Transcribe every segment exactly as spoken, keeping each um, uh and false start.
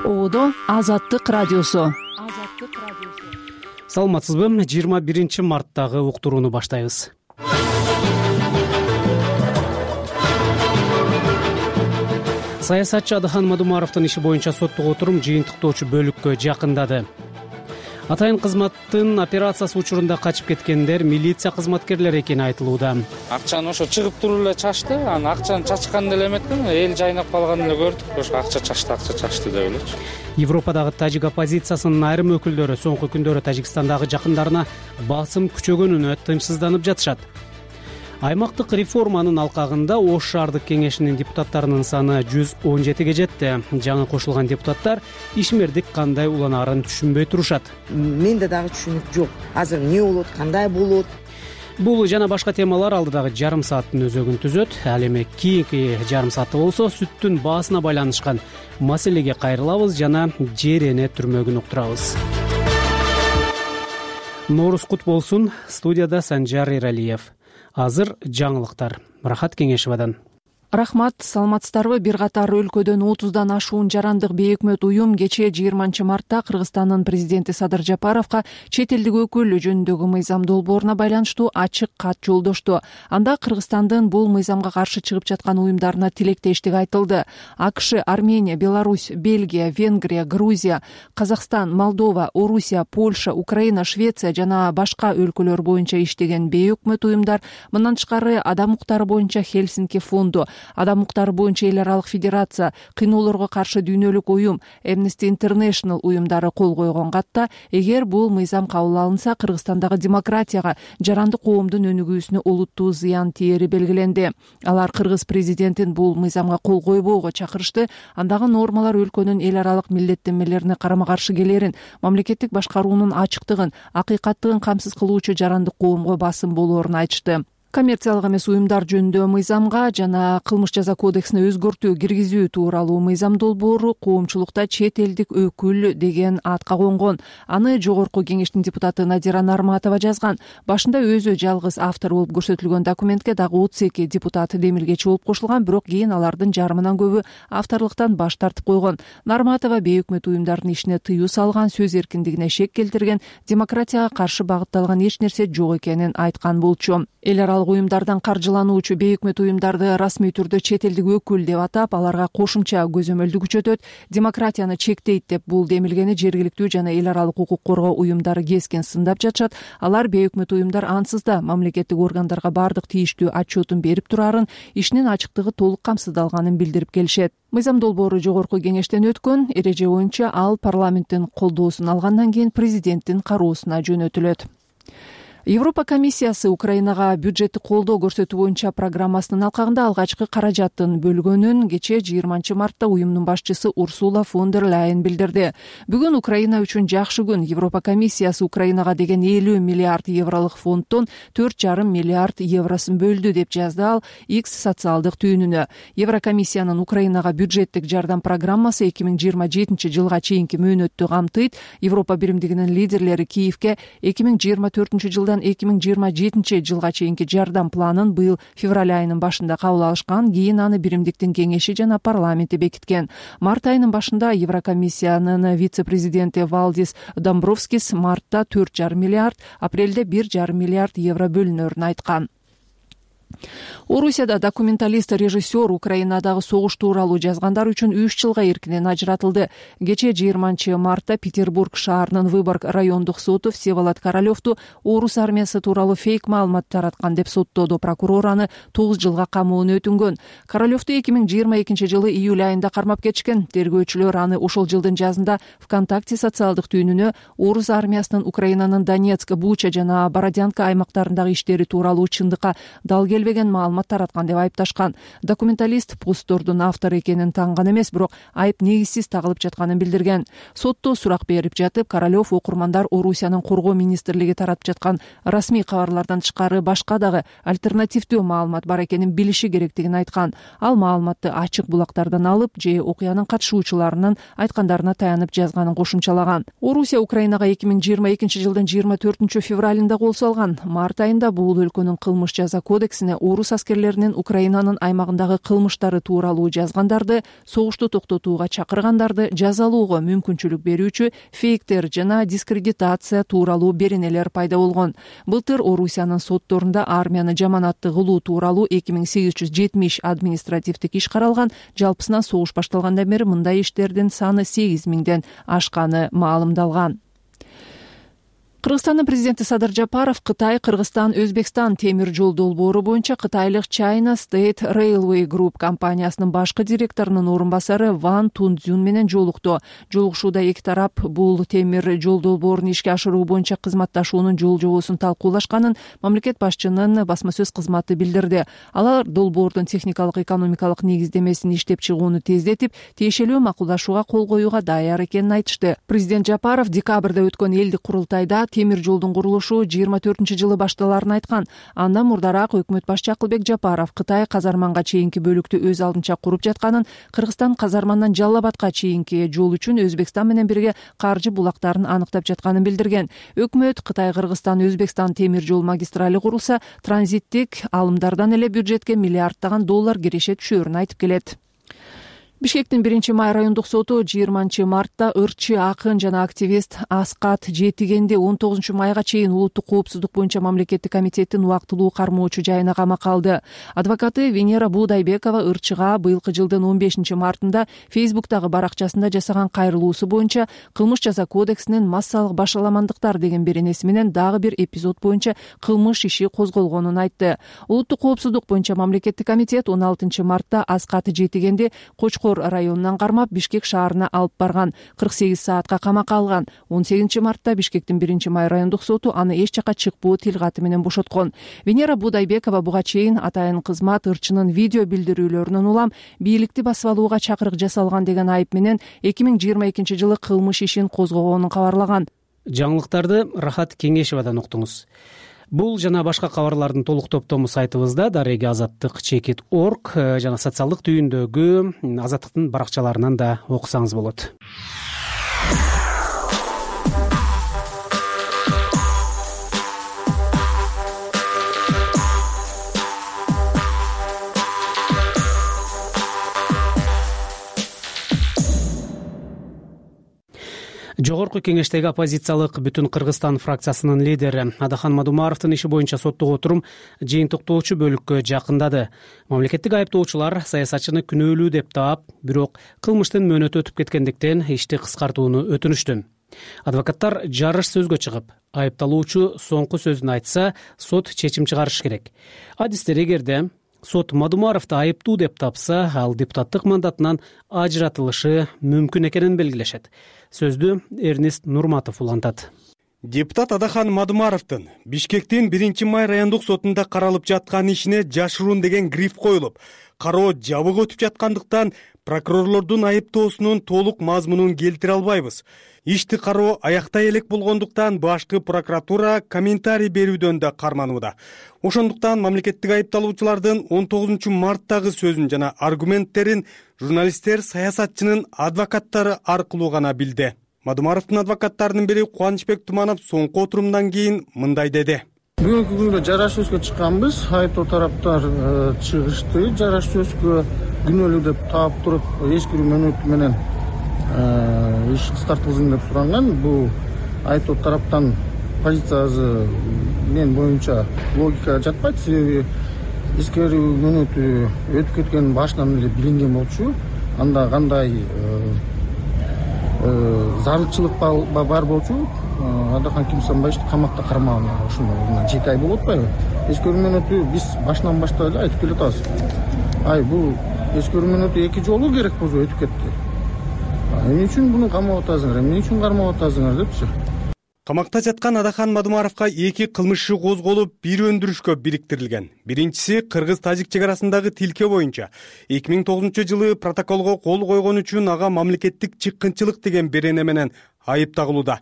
Одо Азаттык радиосу. Саламатсызбы? жыйырма биринчи марттагы уктурууну баштайбыз. Саясатчы Адыхан Мадумаровдун иши боюнча соттук отурум жыйынтыктоочу бөлүккө жакындады. Атайын кызматтын операциясы учурунда качып кеткендер милиция кызматкерлери экени айтылууда. Акчаны ошо чыгып туруп эле чачты, анан акчаны чачкан деле эметкен, эл жайнап калганын эле көрдүк. Ошо акча чачты, акча чачты деп элечи. Европадагы тажик оппозициясынын айрым өкүлдөрү соңку күндөрү Тажикстандагы жакындарына басым күчөгөнүнө тынчсызданып жатышат. Аймактык реформанын алкагында Ош шаардык кеңешинин депутаттарынын саны жүз он жетиге жетти. Жаңы кошулган депутаттар ишмердик кандай уланаарын түшүнбөй турушат. Менде дагы түшүнүк жок. Азыр эмне болот, кандай болот? Бул жана башка темалар алдыдагы жарым сааттын өзөгүн түзөт. Ал эми кийинки жарым саатта болсо сүттүн баасына байланышкан маселеге кайрылабыз жана жер эне түрмөгүн уктурабыз. Нооруз кут болсун. Студияда Санжар Эралиев. Азыр жаңылыктар. Рахат Кеңешевадан. Рахмат, саламатсыздарбы? Бир катар өлкөдөн отуздан ашуун жарандык бейөкмөт уюм кечээ жыйырманчы мартта Кыргызстандын президенти Садыр Жапаровго чет элдик өкүл жөнүндөгү мыйзам долбооруна байланыштуу ачык кат жолдошту. Анда Кыргызстандын бул мыйзамга каршы чыгып жаткан уюмдарына тилектештик айтылды. АКШ, Армения, Беларусь, Бельгия, Венгрия, Грузия, Казакстан, Молдова, Орусия, Польша, Украина, Швеция жана башка өлкөлөр боюнча иштеген бейөкмөт уюмдар, мындан тышкары адам укуктары боюнча Хельсинки фонду, адам укуктары боюнча эл аралык федерация, кыйноолорго каршы дүйнөлүк уюм, Amnesty International уюмдары кол койгон катта, эгер бул мыйзам кабыл алынса, Кыргызстандагы демократияга, жарандык коомдун өнүгүүсүнө олуттуу зыян тиери белгиленди. Алар кыргыз президентин бул мыйзамга кол койбоого чакырышты. Андагы нормалар өлкөнүн эл аралык милдеттенмелерине карама каршы келерин, мамлекеттик башкаруунун ачыктыгын, акыйкаттыгын камсыз кылуучу жарандык коомго басым болоорун айтышты. Коммерциялык эмес уюмдар жөнүндө мыйзамга жана кылмыш жаза кодексине өзгөртүү киргизүү тууралуу мыйзам долбоору коомчулукта чет элдик өкүл деген атка конгон. Аны жогорку кеңештин депутаты Надира Нарматова жазган. Башында өзү жалгыз автор болуп көрсөтүлгөн документке дагы отуз эки депутат демилгечи болуп кошулган, бирок кийин алардын жарымынан көбү авторлуктан баш тартып койгон. Нарматова бейөкмөт уюмдардын ишине тыюу салган, сөз эркиндигине шек келтирген, демократияга каршы багытталган эч нерсе жок экенин айткан болчу. Эл аралык уюмдардан каржылануучу бейөкмөт уюмдарды расмий түрдө чет элдик өкүл деп атап, аларга кошумча көзөмөлдү күчөтөт, демократияны чектейт деп бул демилгени жергиликтүү жана эл аралык укук коргоо уюмдары кескен сындап жатышат. Алар бейөкмөт уюмдар ансыз да мамлекеттик органдарга бардык тийиштүү отчетун берип турарын, ишинин ачыктыгы толук камсыздалганын билдирип келишет. Мыйзам долбоору жогорку кеңештен өткөн, эреже боюнча ал парламенттин колдоосун алгандан кийин президенттин кароосуна жөнөтүлөт. Европа комиссиясы Украинага бюджеттик колдоо көрсөтүү боюнча программасынын алкагында алгачкы каражатын бөлгөнүн кечээ жыйырманчы мартта уюмдун башчысы Урсула фон дер Ляйен билдирди. Бүгүн Украина үчүн жакшы күн. Европа комиссиясы Украинага деген элүү миллиард евролук фонддон төрт жарым миллиард евросын бөлдү деп жазды ал X социалдык түйүнүнө. Еврокомиссиянын Украинага бюджеттик жардам программасы эки миң жыйырма жетинчи жылга чейинки мөөнөттү камтыйт. Европа биримдигинин лидерлери Киевке эки миң жыйырма төртүнчү жылдан эки миң жыйырма жетинчи жылга чейинки жардам планын быйыл февраль айынын башында кабыл алышкан, кийин аны биримдиктин кеңеши жана парламенти бекиткен. Март айынын башында Еврокомиссиянын вице-президенти Валдис Домбровскис мартта төрт жарым миллиард, апрелде бир жарым миллиард евро бөлүнөрүн айткан. Орусияда документалист, режиссер Украинадагы согуш тууралуу жазгандар үчүн үч жылга эркинен ажыратылды. Кечээ жыйырманчы мартта Петербург шаарынын Выборг райондук соту Всеволод Королевду орус армиясы тууралуу фейк маалымат тараткан деп соттоодо. Прокурор аны тогуз жылга камоон өтүнгөн. Королевду эки миң жыйырма экинчи жылы июль айында кармап кетишкен. Тергөөчүлөр аны ошол жылдын жазында ВКонтакте социалдык түйүнүнө орус армиясынын Украинанын Донецк, Буча жана Бородянка аймактарындагы иштери тууралуу чындыкка дал келбеген маалымат тараткан деп айыпташкан. Документалист посттордун автору экенин танган эмес, бирок айып негизсиз тагылып жатканын билдирген. Сотто сурак берип жатып, Королев окурмандар Орусиянын коргоо министрлиги таратып жаткан расмий кабарлардан тышкары башка дагы альтернативдүү маалымат бар экенин билиши керектигин айткан. Ал маалыматты ачык булактардан алып, же окуянын катышуучуларынын айткандарына таянып жазганын кошумчалаган. Орусия Украинага эки миң жыйырма экинчи жылдын жыйырма төртүнчү февралында кол салган. Март айында бул өлкөнүн кылмыш жаза кодексине жана орус аскерлеринин Украинанын аймагындагы кылмыштары тууралуу жазгандарды, согушту токтотууга чакыргандарды жазалоого мүмкүнчүлүк берүүчү фейктер жана дискредитация тууралуу беренелер пайда болгон. Былтыр Орусиянын сотторунда армияны жаманатты кылуу тууралуу эки миң сегиз жүз жетимиш административдик иш каралган. Жалпысынан согуш башталгандан бери мындай иштердин саны сегиз миңден ашканы маалымдалган. Кыргызстандын президенти Садыр Жапаров Кытай, Кыргызстан, Өзбекстан темир жол долбоору боюнча кытайлык China State Railway Group компаниясынын башкы директорунун орун басары Ван Тунцзюн менен жолукту. Жолугушууда эки тарап бул темир жол долбоорун ишке ашыруу боюнча кызматташуунун жол жобосун талкуулашканын мамлекет башчынын басма сөз кызматы билдирди. Алар долбоордун техникалык экономикалык негиздемесин иштеп чыгууну тездетип, тиешелүү макулдашууга кол коюуга даяр экенин айтышты. Президент Жапаров декабрда өткөн элдик курултайда темир жолдун курулушу жыйырма төртүнчү жылы башталарын айткан. Андан мурдараак өкмөт башчы Акылбек Жапаров Кытай Казарманга чейинки бөлүктү өз алдынча куруп жатканын, Кыргызстан Казармандан Жалал Абадка чейинки жол үчүн Өзбекстан менен бирге каржы булактарын аныктап жатканын билдирген. Өкмөт Кытай Кыргызстан Өзбекстан темир жол магистрали курулса, транзиттик алымдардан эле бюджетке миллиарддаган доллар киреше түшөөрүн айтып келет. Бишкектин биринчи май райондук соту жыйырманчы мартта ырчы акын жана активист Аскат Жетигенди он тогузунчу майга чейин улуттук коопсуздук боюнча мамлекеттик комитеттин убактылуу кармоочу жайына камакка алды. Адвокаты Венера Будайбекова ырчыга быйылкы жылдын он бешинчи мартында Фейсбуктагы баракчасында жасаган кайрылуусу боюнча кылмыш жаза кодексинин массалык башаламандыктар деген беренеси менен дагы бир эпизод боюнча кылмыш иши козголгонун айтты. Улуттук коопсуздук боюнча мамлекеттик комитет он алтынчы мартта Аскат Жетигенди Кочкор районунан кармап Бишкек шаарына алып барган, кырк сегиз саатка камакка алган. он сегизинчи мартта Бишкектин биринчи май райондук соту аны эч жакка чыкпоо тилгаты менен бошоткон. Венера Будайбекова буга чейин атайын кызмат ырчынын видео билдирүүлөрүнөн улам бийликти басып алууга чакырык жасалган деген айып менен эки миң жыйырма экинчи жылы кылмыш ишин козгогонун кабарлаган. Жаңылыктарды Рахат Кеңешевадан уктуңуз. Бул жана башка кабарлардын толук топтому сайтыбызда дареги азаттык чекит орг жана социалдык түйүндөгү Азаттыктын баракчаларынан да окусаңыз болот. Жогорку кеңештеги оппозициялык Бүтүн Кыргызстан фракциясынын лидери Адахан Мадумаровдун иши боюнча соттук отурум жыйынтыктоочу бөлүккө жакындады. Мамлекеттик айыптоочулар саясатчыны күнөөлүү деп таап, бирок кылмыштын мөөнөтү өтүп кеткендиктен ишти кыскартууну өтүнүштү. Адвокаттар жарыш сөзгө чыгып, айыпталуучу соңку сөзүн айтса, сот чечим чыгарыш керек. Адистер эгерде сот Мадумаровду айыптуу деп тапса, ал депутаттык мандатынан ажыратылышы мүмкүн экенин белгилешет. Сөздү Эрнест Нурматов улантат. Депутат Адахан Мадумаровдун Бишкектин биринчи май райондук сотунда каралып жаткан ишине жашыруун деген гриф коюлуп, кароо жабык өтүп жаткандыктан прокурорлордун айыптоосунун толук мазмунун келтире албайбыз. Ишти кароо аяктай элек болгондуктан башкы прокуратура комментарий берүүдөн да карманууда. Ошондуктан мамлекеттик айыпталуучулардын он тогузунчу марттагы сөзүн жана аргументтерин журналисттер саясатчынын адвокаттары аркылуу гана билди. Мадумаровдун адвокаттарынын бири Кубанычбек Туманов соңку отурумдан кийин мындай деди. Бүгүнкү күндө жараш сөзгө чыкканбыз. Айыптоо тараптар чыгышты. Жараш сөзгө күнөөлүү деп таап туруп, эскирүү мөөнөтү менен иш кыскартылсын деп суранган. Бул айыптоо тараптан позициясы мен боюнча логикага жатпайт. Себеби эскирүү мөөнөтү өтүп кеткен башынан эле билинген болчу. Анда кандай зарылчылык бар болчу. Адахан Кимсанбаевди камакта кармаган ушуну жети ай болуп атпайбы? Эскирүү мөөнөтү биз башынан баштап эле айтып келатабыз. Ай бул эскирүү мөөнөтү эки жолу керек болсо өтүп кетти. Эмне үчүн буну камап атасыңар, эмне үчүн кармап атасыңар депчи. Камакта жаткан Адахан Мадумаровго эки кылмыш иши козголуп, бир өндүрүшкө бириктирилген. Биринчиси кыргыз-тажик чек арасындагы тилке боюнча эки миң тогузунчу жылы протоколго кол койгон үчүн ага мамлекеттик чыккынчылык деген берене менен айып тагылууда.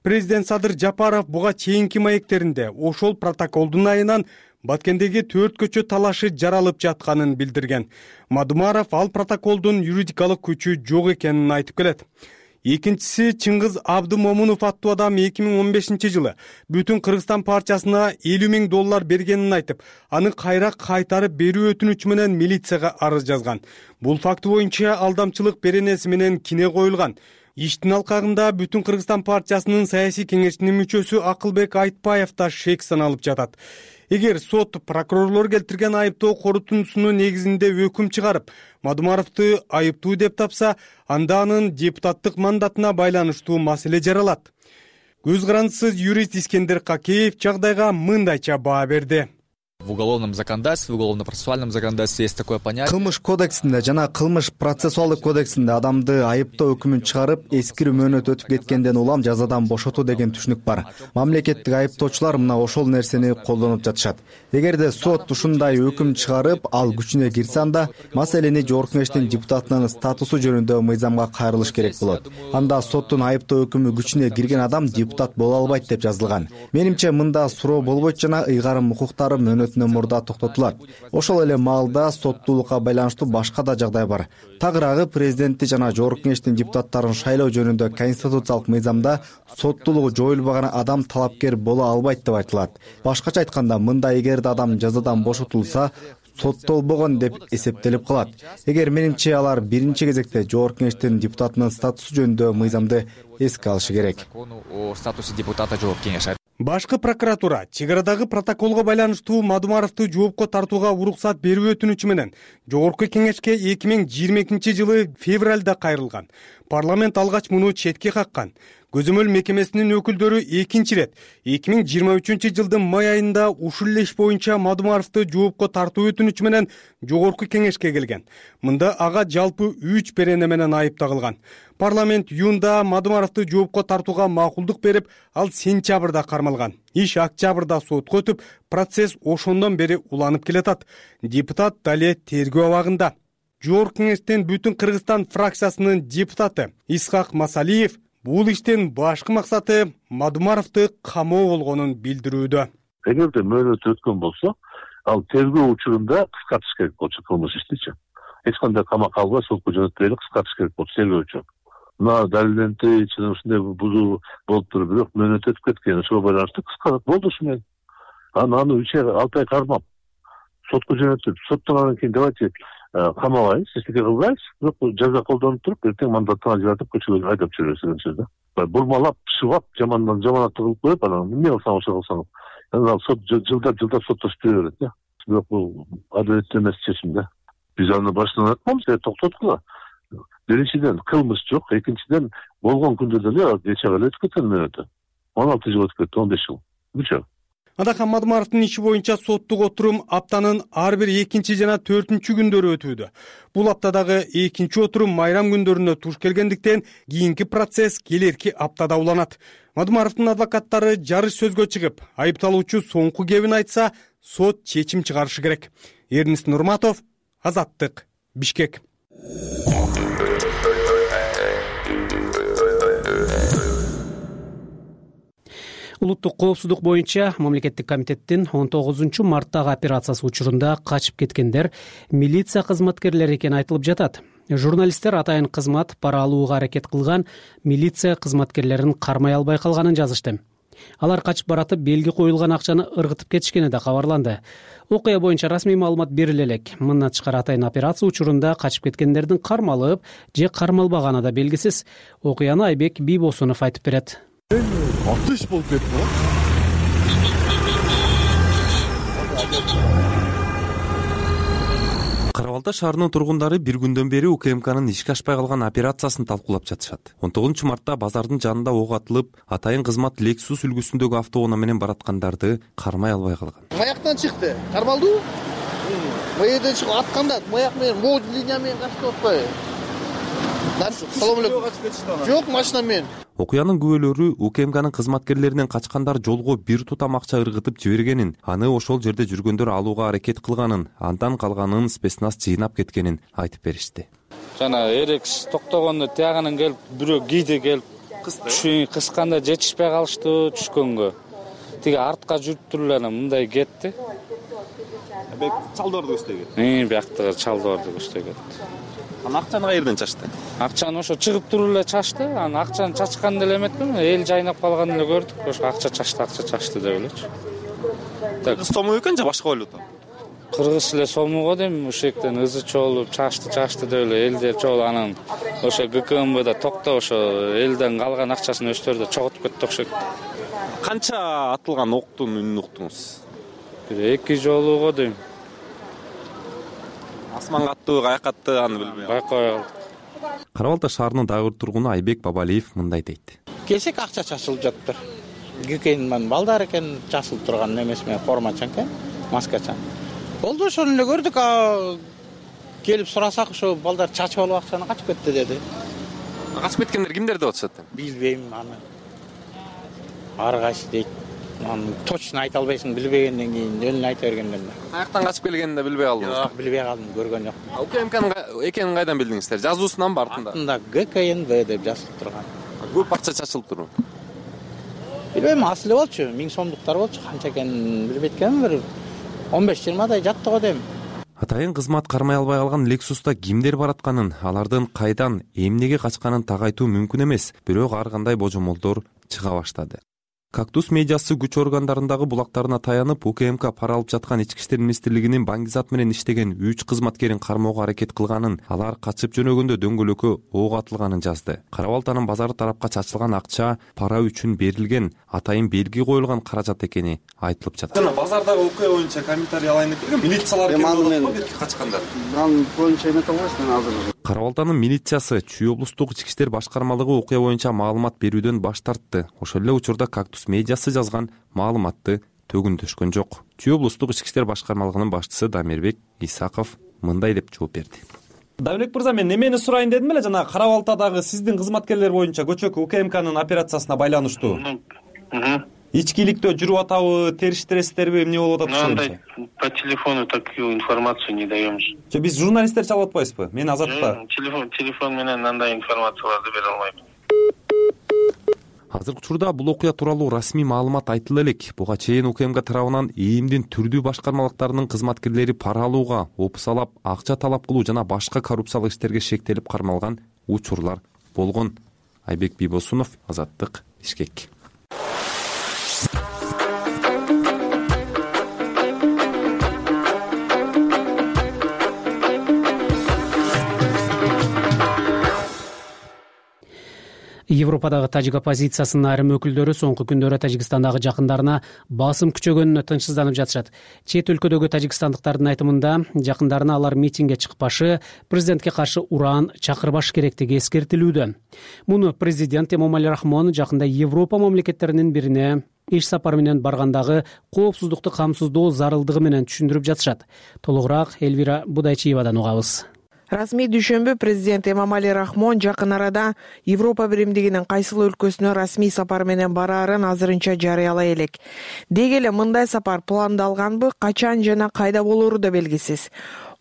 Президент Садыр Жапаров буга чейинки маектеринде ошол протоколдун айынан Баткендеги төрт көчө талашы жаралып жатканын билдирген. Мадумаров ал протоколдун юридикалык күчү жок экенин айтып келет. Экинчиси Чыңгыз Абдымомунов аттуу адам эки миң он бешинчи жылы Бүтүн Кыргызстан партиясына элүү миң доллар бергенин айтып, аны кайра кайтарып берүү өтүнүчү менен милицияга арыз жазган. Бул факты боюнча алдамчылык беренеси менен кине коюлган. Иштин алкагында Бүтүн Кыргызстан партиясынын саясий кеңешинин мүчөсү Акылбек Айтбаев да шек саналып жатат. Эгер сот прокурорлор келтирген айыптоо корутундусунун негизинде өкүм чыгарып, Мадумаровду айыптуу деп тапса, анда анын депутаттык мандатына байланыштуу маселе жаралат. Көз карандысыз юрист Искендер Какеев жагдайга мындайча баа берди. В уголовном законодательстве, в уголовно-процессуальном законодательстве есть такое понятие. Кылмыш кодексинде жана кылмыш процессуалдык кодексинде адамды айыптоо өкүмүн чыгарып, эскирүү мөөнөт өтүп кеткенден улам жазадан бошотуу деген түшүнүк бар. Мамлекеттик айыптоочулар мына ошол нерсени колдонуп жатышат. Эгерде сот ушундай өкүм чыгарып, ал күчүнө кирсе, анда маселени Жогорку Кеңештин депутатынын статусу жөнүндө мыйзамга кайрылыш керек болот. Анда соттун айыптоо өкүмү күчүнө кирген адам депутат боло албайт деп жазылган. Менимче мында суроо болбойт жана ыйгарым укуктары мөөнөт мурда токтотулат. Ошол эле маалда соттуулукка байланыштуу башка да жагдай бар. Тагыраагы президентти жана Жогорку Кеңештин депутаттарын шайлоо жөнүндө конституциялык мыйзамда соттуулугу жоюлбаган адам талапкер боло албайт деп айтылат. Башкача айтканда, мында эгерде адам жазадан бошотулса, соттолбогон деп эсептелип калат. Эгер менимче алар биринчи кезекте Жогорку Кеңештин депутатынын статусу жөнүндө мыйзамды эске алышы керек. О статусе депутата Жогорку Кеңеш. Башкы прокуратура чек арадагы протоколго байланыштуу Мадумаровду жоопко тартууга уруксат берүү өтүнүчү менен Жогорку Кеңешке эки миң жыйырма экинчи жылы февралда кайрылган. Парламент алгач муну четке каккан. Көзөмөл мекемесинин өкүлдөрү экинчи ирет эки миң жыйырма үчүнчү жылдын май айында ушул эле иш боюнча Мадумаровду жоопко тартуу өтүнүчү менен Жогорку Кеңешке келген. Мында ага жалпы үч берене менен айып тагылган. Парламент июнда Мадумаровду жоопко тартууга макулдук берип, ал сентябрда кармалган. Иш октябрда сотко өтүп, процесс ошондон бери уланып келатат. Депутат дале тергөө абагында. Жогорку Кеңештин Бүтүн Кыргызстан фракциясынын депутаты Исхак Масалиев бул иштин башкы максаты Мадумаровду камоо болгонун билдирүүдө. Эгерде мөөнөт өткөн болсо, ал тергөө учурунда кыскартыш керек болчу кылмыш иштичи. Эч кандай камакка албай сотко жөнөтпөй эле кыскартыш керек болчу тергөөчү. Мына далилденти чын ушундай бузуу болуп туруп, бирок мөөнөт өтүп кеткен, ошого байланыштуу кыскартып болду ушу менен. Аны аны үч ай, алты ай кармап, сотко жөнөтүп, соттон анан кийин давайте камабайбыз, эчтеке кылбайбыз, бирок жаза колдонуп туруп, эртең мандаттан ажыратып көчөгө айдап жүрөбүз деген сөз да. Бурмалап, шыбап, жамандан жаманатты кылып коюп, анан эмне кылсаң ошо кылсаң, анан сот жылдап жылдап соттошуп жүрө берет да. Бирок бул адилеттүү эмес чечим да. Биз аны башынан айтканбыз, токтоткула. Биринчиден кылмыш жок, экинчиден болгон күндө деле нече ай өтүп кеткен мөөнөтү. он алты жыл өтүп кетти, он беш жыл. Күчө. Адахан Мадумаровдун иши боюнча соттук отурум аптанын ар бир экинчи жана төртүнчү күндөрү өтүүдө. Бул аптадагы экинчи отурум майрам күндөрүнө туш келгендиктен кийинки процесс келерки аптада уланат. Мадумаровдун адвокаттары жарыш сөзгө чыгып, айыпталуучу соңку кебин айтса, сот чечим чыгарышы керек. Эрнис Нурматов, Азаттык, Бишкек. Улуттук коопсуздук боюнча мамлекеттик комитеттин он тогузунчу марттагы операциясы учурунда качып кеткендер милиция кызматкерлери экени айтылып жатат. Журналисттер атайын кызмат пара алууга аракет кылган милиция кызматкерлерин кармай албай калганын жазышты. Алар качып баратып белги коюлган акчаны ыргытып кетишкени да кабарланды. Окуя боюнча расмий маалымат бериле элек. Мындан тышкары атайын операция учурунда качып кеткендердин кармалып же кармалбаганы да белгисиз. Окуяны Айбек Бийбосунов айтып берет. Атыш болуп кетти го. Кара Балта шаарынын тургундары бир күндөн бери УКМКнын ишке ашпай калган операциясын талкуулап жатышат. он тогузунчу мартта базардын жанында ок атылып, атайын кызмат Lexus үлгүсүндөгү автоунаа менен бараткандарды кармай албай калган. Маяктан чыкты. Кармалдыбы? Маякдан чыгып атканда маяк менен мод линия менен качып атпайбы? Салам алейкум. Жок, машина менен. Окуянын күбөлөрү УКМКнын кызматкерлеринен качкандар жолго бир тутам акча ыргытып жибергенин, аны ошол жерде жүргөндөр алууга аракет кылганын, андан калганын спецназ жыйнап кеткенин айтып беришти. Жана эрекс токтогондо тиягынан келип, бирөө кийде келип кысканда жетишпей калышты түшкөнгө. Тиги артка жүрүп туруп эле мындай кетти. Бек чалдоорду көздөй кетти. Э, бияктагы чалдоорду көздөй кетти. Анан акчаны каерден чачты? Акчаны ошо чыгып туруп эле чачты. Анан акчаны чачкан деле эметпин. Эл жайнап калганын эле көрдүк. Ошо акча чачты, акча чачты деп элечи. Кыргыз сому экен же башка валюта? Кыргыз эле сомуго дейм, ушектен ызы чогулуп чачты, чачты деп эле элдер чогулуп анан ошо ГКМБда токтоп ошо элден калган акчасын өздөрү да чогултуп кетти окшойт. Канча атылган октун үнүн уктуңуз? Бир эки жолуго дейм. Асманга аттыбы, каяка атты аны билбейм. Байкабай калдык. Кара Балта шаарынын дагы бир тургуну Айбек Бабалиев мындай дейт. Келсек акча чачылып жаттыр. ГКН балдар экен чачылып турган эмес менен формачан экен, маскачан. Болду ошону эле көрдүк. Келип сурасак ошо балдар чачып алып акчаны качып кетти деди. Качып кеткендер кимдер деп атышат? Билбейм аны. Ар кайсы дейт. Аны точно айта албайсың, билбегенден кийин өлүн айта бергенден. Каяктан качып келгенин да билбей калдыңыз? Жок, билбей калдым, көргөн жок. УКМКнын экенин кайдан билдиңиздер? Жазуусунан ба артында? Артында ГКНБ деп жазылып турган. Көп акча чачылып турбу? Билбейм, аз эле болчу, миң сомдуктар болчу, канча экенин билбейт экенмин, бир он беш жыйырмадай жатты го дейм. Атайын кызмат кармай албай калган Lexus'та кимдер баратканын, алардын кайдан, эмнеге качканын так айтуу мүмкүн эмес, бирок ар кандай божомолдор чыга баштады. Кактус медиасы күч органдарындагы булактарына таянып, УКМК пара алып жаткан Ички иштер министрлигинин Баңгизат менен иштеген үч кызматкерин кармоого аракет кылганын, алар качып жөнөгөндө дөңгөлөккө ок атылганын жазды. Кара Балтанын базары тарапка чачылган акча пара үчүн берилген, атайын белги коюлган каражат экени айтылып жатат. Жана базардагы окуя боюнча комментарий алайын деп милициялар келип бетке качкандар. Аны боюнча эмете албайсың азыр. Кара Балтанын милициясы Чүй облустук ички иштер башкармалыгы окуя боюнча маалымат берүүдөн баш тартты. Ошол эле учурда Кактус медиасы жазган маалыматты төгүндөшкөн жок. Чүй облустук ички иштер башкармалыгынын башчысы Дамирбек Исаков мындай деп жооп берди. Давлек мырза, мен эмени сурайын дедим эле, жана Кара Балтадагы сиздин кызматкерлер боюнча көчөкү УКМКнын операциясына байланыштуу. Ичкиликтөө жүрүп атабы, териштиресиздерби, эмне болуп атат ошо? По телефону такую информацию не даем. Же биз журналисттер чалып атпайбызбы? Мен Азатта. Телефон телефон менен андай информацияларды бере албайм. Азыркы учурда бул окуя тууралуу расмий маалымат айтыла элек. Буга чейин УКМК тарабынан ИИМдин түрдүү башкармалыктарынын кызматкерлери пара алууга, опусалап, акча талап кылуу жана башка коррупциялык иштерге шектелип кармалган учурлар болгон. Айбек Бибосунов, Азаттык, Бишкек. Европадагы тажик оппозициясынын айрым өкүлдөрү соңку күндөрү Тажикстандагы жакындарына басым күчөгөнүнө тынчсызданып жатышат. Чет өлкөдөгү тажикстандыктардын айтымында жакындарына алар митингге чыкпашы, президентке каршы ураан чакырбаш керектиги эскертилүүдө. Муну президент Эмомали Рахмон жакында Европа мамлекеттеринин бирине иш сапар менен баргандагы коопсуздукту камсыздоо зарылдыгы менен түшүндүрүп жатышат. Толугураак Элвира Будайчиевадан угабыз. Расмий дүйшөмбү президент Эмомали Рахмон жакын арада Европа биримдигинин кайсыл өлкөсүнө расмий сапар менен бараарын азырынча жарыялай элек. Деги эле мындай сапар пландалганбы, качан жана кайда болору да белгисиз.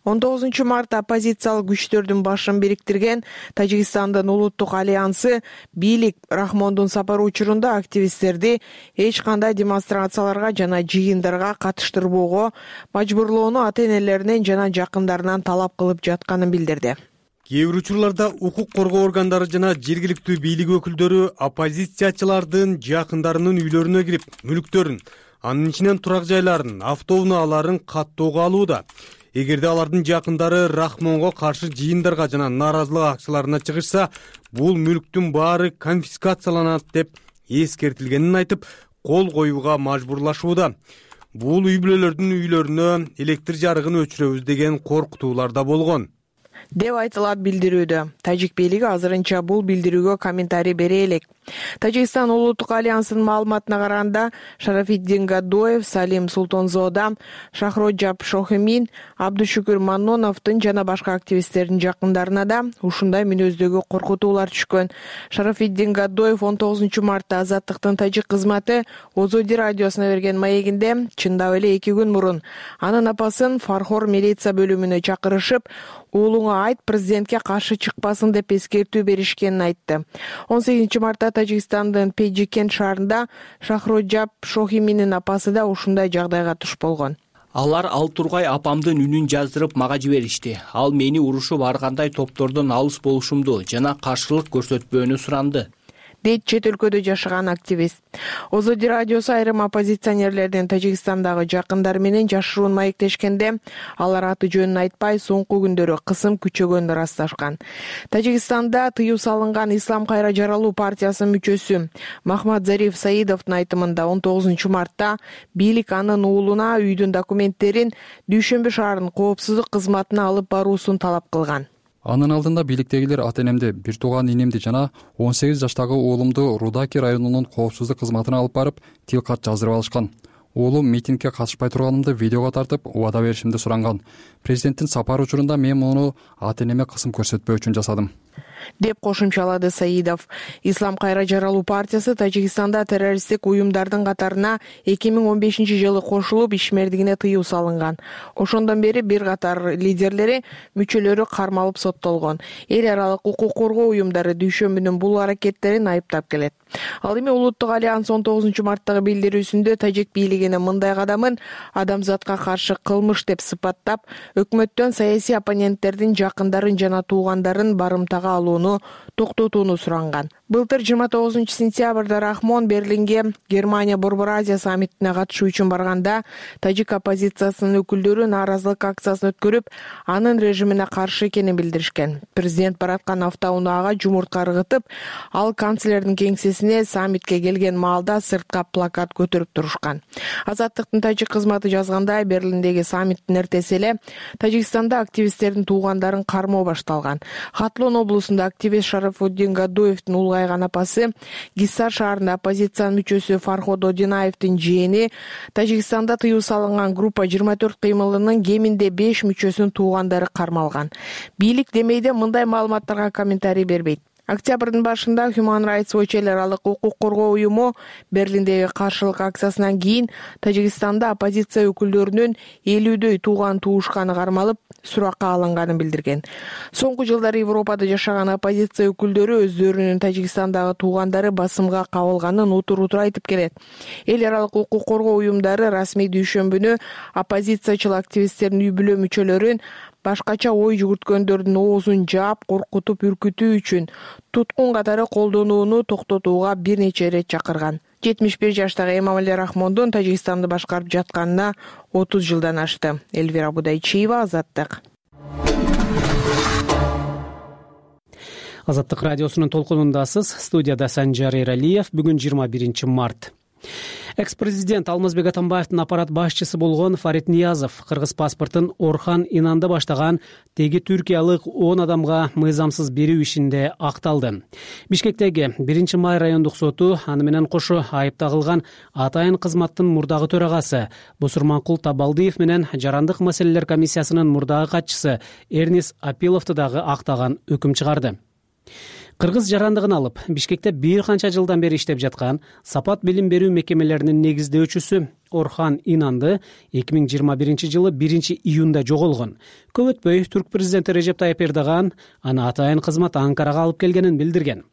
он тогузунчу мартта оппозициялык күчтөрдүн башын бириктирген Тажикстандын улуттук альянсы бийлик Рахмондун сапары учурунда активисттерди эч кандай демонстрацияларга жана жыйындарга катыштырбоого мажбурлоону ата-энелеринен жана жакындарынан талап кылып жатканын билдирди. Кээ бир учурларда укук коргоо органдары жана жергиликтүү бийлик өкүлдөрү оппозициячылардын жакындарынын үйлөрүнө кирип, мүлктөрүн, анын ичинен турак жайларын, автоунааларын каттоого алууда. Эгерде алардын жакындары Рахмонго каршы жыйындарга жана нааразылык акцияларына чыгышса, бул мүлктүн баары конфискацияланат деп эскертилгенин айтып, кол коюуга мажбурлашууда. Бул үй бүлөлөрдүн үйлөрүнө электр жарыгын өчүрөбүз деген коркутуулар да болгон деп айтылат билдирүүдө. Тажик бийлиги азырынча бул билдирүүгө комментарий бере элек. Тажикстан улуттук альянсынын маалыматына караганда, Шарафиддин Гадоев, Салим Султонзода, Шахроджаб Шохимин, Абдушукур Манноновдун жана башка активисттердин жакындарына да ушундай мүнөздөгү коркутуулар түшкөн. Шарафиддин Гадоев он тогузунчу мартта Азаттыктын тажик кызматы Озоди радиосуна берген маегинде чындап эле эки күн мурун анын апасын Фархор милиция бөлүмүнө чакырышып, уулуңа айт президентке каршы чыкпасын деп эскертүү беришкенин айтты. он сегизинчи мартта Тажикстандын Пейджикен шаарында Шахроджаб Шохиминин апасы да ушундай жагдайга туш болгон. алар Ал Тургай апамдын үнүн жаздырып мага жиберишти. Ал мени урушуп ар кандай топтордон алыс болушумду жана каршылык көрсөтпөөнү суранды, дейт чет өлкөдө жашаган активист. Озоди радиосу айрым оппозиционерлердин Тажикстандагы жакындары менен жашыруун маектешкенде, алар аты жөнүн айтпай соңку күндөрү кысым күчөгөнү ырасташкан. Тажикстанда тыюу салынган Ислам кайра жаралуу партиясынын мүчөсү Махмад Зариф Саидовдун айтымында он тогузунчу мартта бийлик анын уулуна үйдүн документтерин Дүйшөмбү шаарынын коопсуздук кызматына алып баруусун талап кылган. Анын алдында бийликтегилер ата-энемди, бир тууган инемди жана он сегиз жаштагы уулумду Рудаки районунун коопсуздук кызматына алып барып, тил кат жаздырып алышкан. Уулум митингге катышпай турганымды видеого тартып, убада беришимди суранган. Президенттин сапары учурунда мен муну ата-энеме кысым көрсөтпөө үчүн жасадым, деп кошумчалады Саидов. Ислам кайра жаралуу партиясы Тажикстанда террористтик уюмдардын катарына эки миң он бешинчи жылы кошулуп, ишмердигине тыюу салынган. Ошондон бери бир катар лидерлери, мүчөлөрү кармалып соттолгон. Эл аралык укук коргоо уюмдары Дүйшөмбүнүн бул аракеттерин айыптап келет. Ал эми Улуттук альянс он тогузунчу марттагы билдирүүсүндө тажик бийлигинин мындай кадамын адамзатка каршы кылмыш деп сыпаттап, өкмөттөн саясий оппоненттердин жакындарын жана туугандарын барымтага алууну токтотууну суранган. Былтыр жыйырма тогузунчу сентябрда Рахмон Берлинге Германия Борбор Азия саммитине катышуу үчүн барганда, тажик оппозициясынын өкүлдөрү нааразылык акциясын өткөрүп, анын режимине каршы экенин билдиришкен. Президент бараткан автоунаага жумуртка ыргытып, ал канцлердин кеңсесине саммитке келген маалда сыртка плакат көтөрүп турушкан. Азаттыктын тажик кызматы жазгандай, Берлиндеги саммиттин эртеси эле Тажикстанда активисттердин туугандарын кармоо башталган. Хатлон облусунда активист Шарафуддин Гадуевдин улгайган апасы, Гиссар шаарында оппозициянын мүчөсү Фарход Одинаевдин жээни, Тажикстанда тыюу салынган группа жыйырма төрт кыймылынын кеминде беш мүчөсүнүн туугандары кармалган. Бийлик демейде мындай маалыматтарга комментарий бербейт. Октябрдын башында Human Rights Watch эл аралык укук коргоо уюму Берлиндеги каршылык акциясынан кийин Тажикстанда оппозиция өкүлдөрүнүн элүүдөй тууган туушканы кармалып, суракка алынганын билдирген. Соңку жылдары Европада жашаган оппозиция өкүлдөрү өздөрүнүн Тажикстандагы туугандары басымга кабылганын утур-утур айтып келет. Эл аралык укук коргоо уюмдары расмий Дүйшөмбүнү оппозициячыл активисттердин үй-бүлө мүчөлөрүн башкача ой жүгүрткөндөрдүн оозун жаап, коркутуп, үркүтүү үчүн туткун катары колдонууну токтотууга бир нече ирет чакырган. жетимиш бир жаштагы Эмомали Рахмондун Тажикстанды башкарып жатканына отуз жылдан ашты. Эльвира Будайчиева, Азаттык. Азаттык радиосунун толкунундасыз. Студияда Санжар Эралиев. Бүгүн жыйырма биринчи март. Экс-президент Алмазбек Атамбаевдин аппарат башчысы болгон Фарид Ниязов кыргыз паспортун Орхан Инанды баштаган теги түркиялык он адамга мыйзамсыз берүү ишинде акталды. Бишкектеги биринчи май райондук соту аны менен кошо айыпта кылган атайын кызматтын мурдагы төрагасы Бусурманкул Табалдиев менен жарандык маселелер комиссиясынын мурдагы катчысы Эрнис Апиловду дагы актаган өкүм чыгарды. Кыргыз жарандыгын алып, Бишкекте бир канча жылдан бери иштеп жаткан Сапат билим берүү мекемелеринин негиздөөчүсү Орхан Инанды эки миң жыйырма биринчи жылы биринчи июнда жоголгон. Көп өтпөй түрк президенти Режеп Тайып Эрдоган аны атайын кызмат Анкарага алып келгенин билдирген.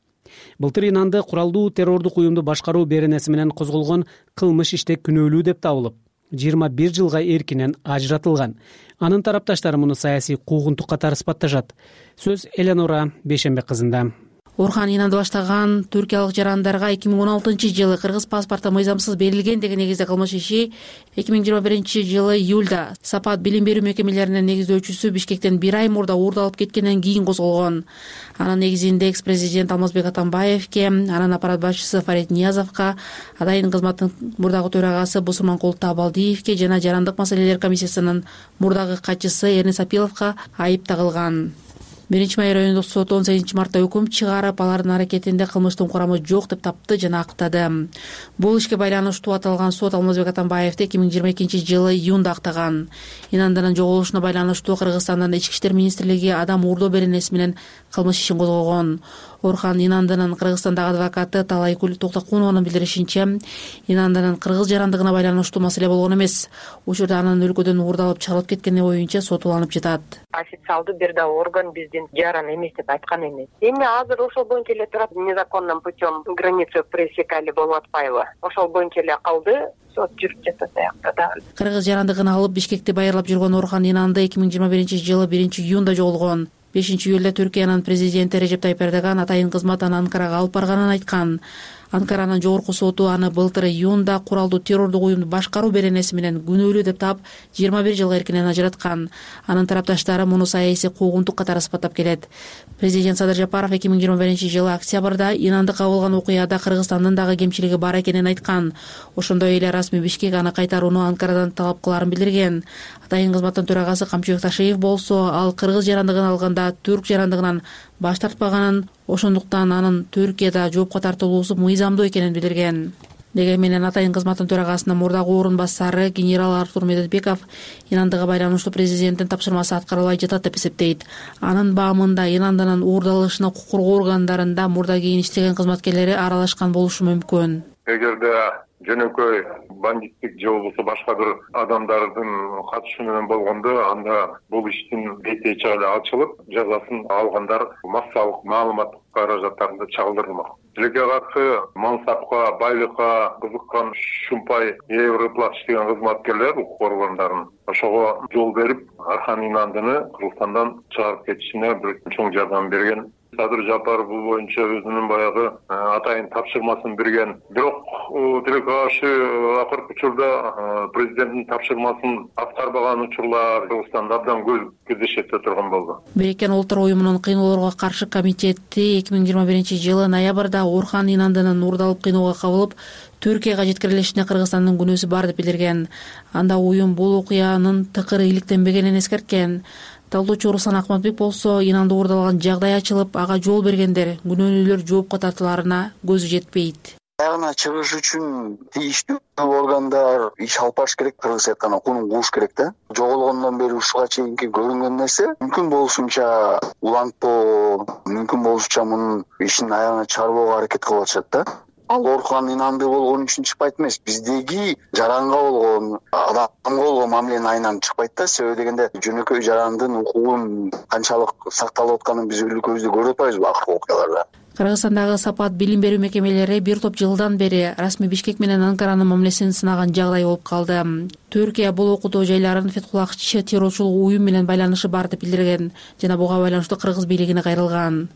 Былтыр Инанды куралдуу террордук уюмду башкаруу беренеси менен козголгон кылмыш иште күнөөлүү деп табылып, жыйырма бир жылга эркинен ажыратылган. Анын тарапташтары муну саясий куугунтук катары сыпатташат. Сөз Эленора Бейшембек кызында. Орхан Инанды баштаган түркиялык жарандарга эки миң он алтынчы жылы кыргыз паспорту мыйзамсыз берилген деген негизде кылмыш иши эки миң жыйырма биринчи жылы июлда Сапат билим берүү мекемелеринин негиздөөчүсү Бишкектен бир ай мурда уурдалып кеткенден кийин козголгон. Анын негизинде экс-президент Алмазбек Атамбаевке, анын аппарат башчысы Фарид Ниязовго, атайын кызматтын мурдагы төрагасы Бусурманкул Табалдиевке жана жарандык маселелер комиссиясынын мурдагы катчысы Эрнис Апиловго айып тагылган. Биринчи май райондук соту он сегизинчи мартта өкүм чыгарып, алардын аракетинде кылмыштын курамы жок деп тапты жана актады. Бул ишке байланыштуу аталган сот Алмазбек Атамбаевди эки миң жыйырма экинчи жылы июнда актаган. Инандынын жоголушуна байланыштуу Кыргызстандын ички иштер министрлиги адам уурдоо беренеси менен кылмыш ишин козгогон. Орхан Инандынын Кыргызстандагы адвокаты Талайкүл Токтокунованын билдиришинче, Инандынын кыргыз жарандыгына байланыштуу маселе болгон эмес. Учурда анын өлкөдөн уурдалып чыгарылып кеткени боюнча сотуланып жатат. Официалдуу бир да орган биздин жаран эмес деп айткан эмес. Эми азыр ошол боюнча эле турат, незаконным путем границу пересекали болуп атпайбы? Ошол боюнча эле калды. Сот жүрүп жатат аякта дагы. Кыргыз жарандыгын алып Бишкекти байырлап жүргөн Орхан Инанды эки миң жыйырма биринчи жылы биринчи июнда жоголгон. бешинчи июлда Түркиянын президенти Режеп Тайып Эрдоган атайын кызматын Анкарага алып барганын айткан. Анкаранын жогорку соту аны былтыр июнда куралдуу террордук уюмду башкаруу беренеси менен күнөөлүү деп таап жыйырма бир жылга эркинен ажыраткан. Анын тарапташтары муну саясий куугунтук катары сыпаттап келет. Президент Садыр Жапаров эки миң жыйырма биринчи жылы октябрда Инанды кабылган окуяда Кыргызстандын дагы кемчилиги бар экенин айткан. Ошондой эле расмий Бишкек аны кайтарууну Анкарадан талап кылаарын билдирген. Атайын кызматтын төрагасы Камчыбек Ташиев болсо, ал кыргыз жарандыгын алганда түрк жарандыгынан баш тартпаганын, ошондуктан анын Түркияда жоопко тартылуусу мыйзамдуу экенин билдирген. Дегенменен атайын кызматтын төрагасынын мурдагы орун басары генерал Артур Медетбеков Инандыга байланыштуу президенттин тапшырмасы аткарылбай жатат деп эсептейт. Анын баамында Инандынын уурдалышына укук коргоо органдарында мурда кийин иштеген кызматкерлери аралашкан болушу мүмкүн. Эгерде жөнөкөй бандиттик же болбосо башка бир адамдардын катышы менен болгондо, анда бул иштин бети чыгып ачылып, жазасын алгандар массалык маалымат каражаттарында чагылдырылмак. Тилекке каршы мансапка, байлыкка кызыккан шумпай ээ выплат иштеген кызматкерлер укук органдарын ошого жол берип, Орхан Инандыны Кыргызстандан чыгарып кетишине бир чоң жардам берген. Садыр Жапаров бул боюнча өзүнүн баягы атайын тапшырмасын берген. Бирок тилекке каршы акыркы учурда президенттин тапшырмасын аткарбаган учурлар Кыргызстанда абдан көп кездешет турган болду. Бириккен Улуттар уюмунун кыйноолорго каршы комитети эки миң жыйырма биринчи жылы ноябрда Орхан Инандынын уурдалып кыйноого кабылып, Түркияга жеткирилишине Кыргызстандын күнөөсү бар деп билдирген. Анда уюм бул окуянын тыкыры иликтенбегенин эскерткен. Талдоочу Руслан Акматбек болсо, Инанды уурдалган жагдай ачылып, ага жол бергендер, күнөөлүүлөр жоопко тартылаарына көзү жетпейт. Аягына чыгыш үчүн тийиштүү органдар иш алып барыш керек, кыргызча айтканда кунун кууш керек да. Жоголгондон бери ушуга чейинки көрүнгөн нерсе мүмкүн болушунча улантпоо, мүмкүн болушунча мунун ишин аягына чыгарбоого аракет кылып атышат да. Ал Орхан Инанды болгон үчүн чыкпайт эмес, биздеги жаранга болгон, адамга болгон мамиленин айынан чыкпайт да. Себеби дегенде жөнөкөй жарандын укугун канчалык сакталып атканын биз өлкөбүздө көрүп атпайбызбы акыркы окуяларда. Кыргызстандагы Сапат билим берүү мекемелери бир топ жылдан бери расмий Бишкек менен Анкаранын мамилесин сынаган жагдай болуп калды. Түркия бул окутуу жайларын Фетхуллахчы террорчулук уюм менен байланышы бар деп билдирген жана буга байланыштуу кыргыз бийлигине кайрылган.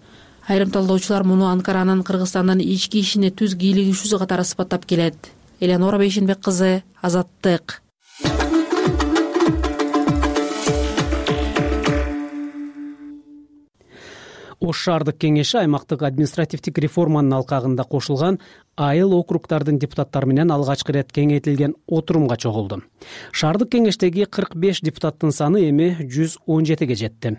Айрым талдоочулар муну Анкаранын Кыргызстандын ички ишине түз кийлигишүүсү катары сыпаттап келет. Элеонора Бейшенбек кызы, Азаттык. Ош шаардык кеңеши аймактык административдик реформанын алкагында кошулган айыл округдардын депутаттары менен алгачкы ирет кеңейтилген отурумга чогулду. Шаардык кеңештеги кырк беш депутаттын саны эми жүз он жетиге жетти.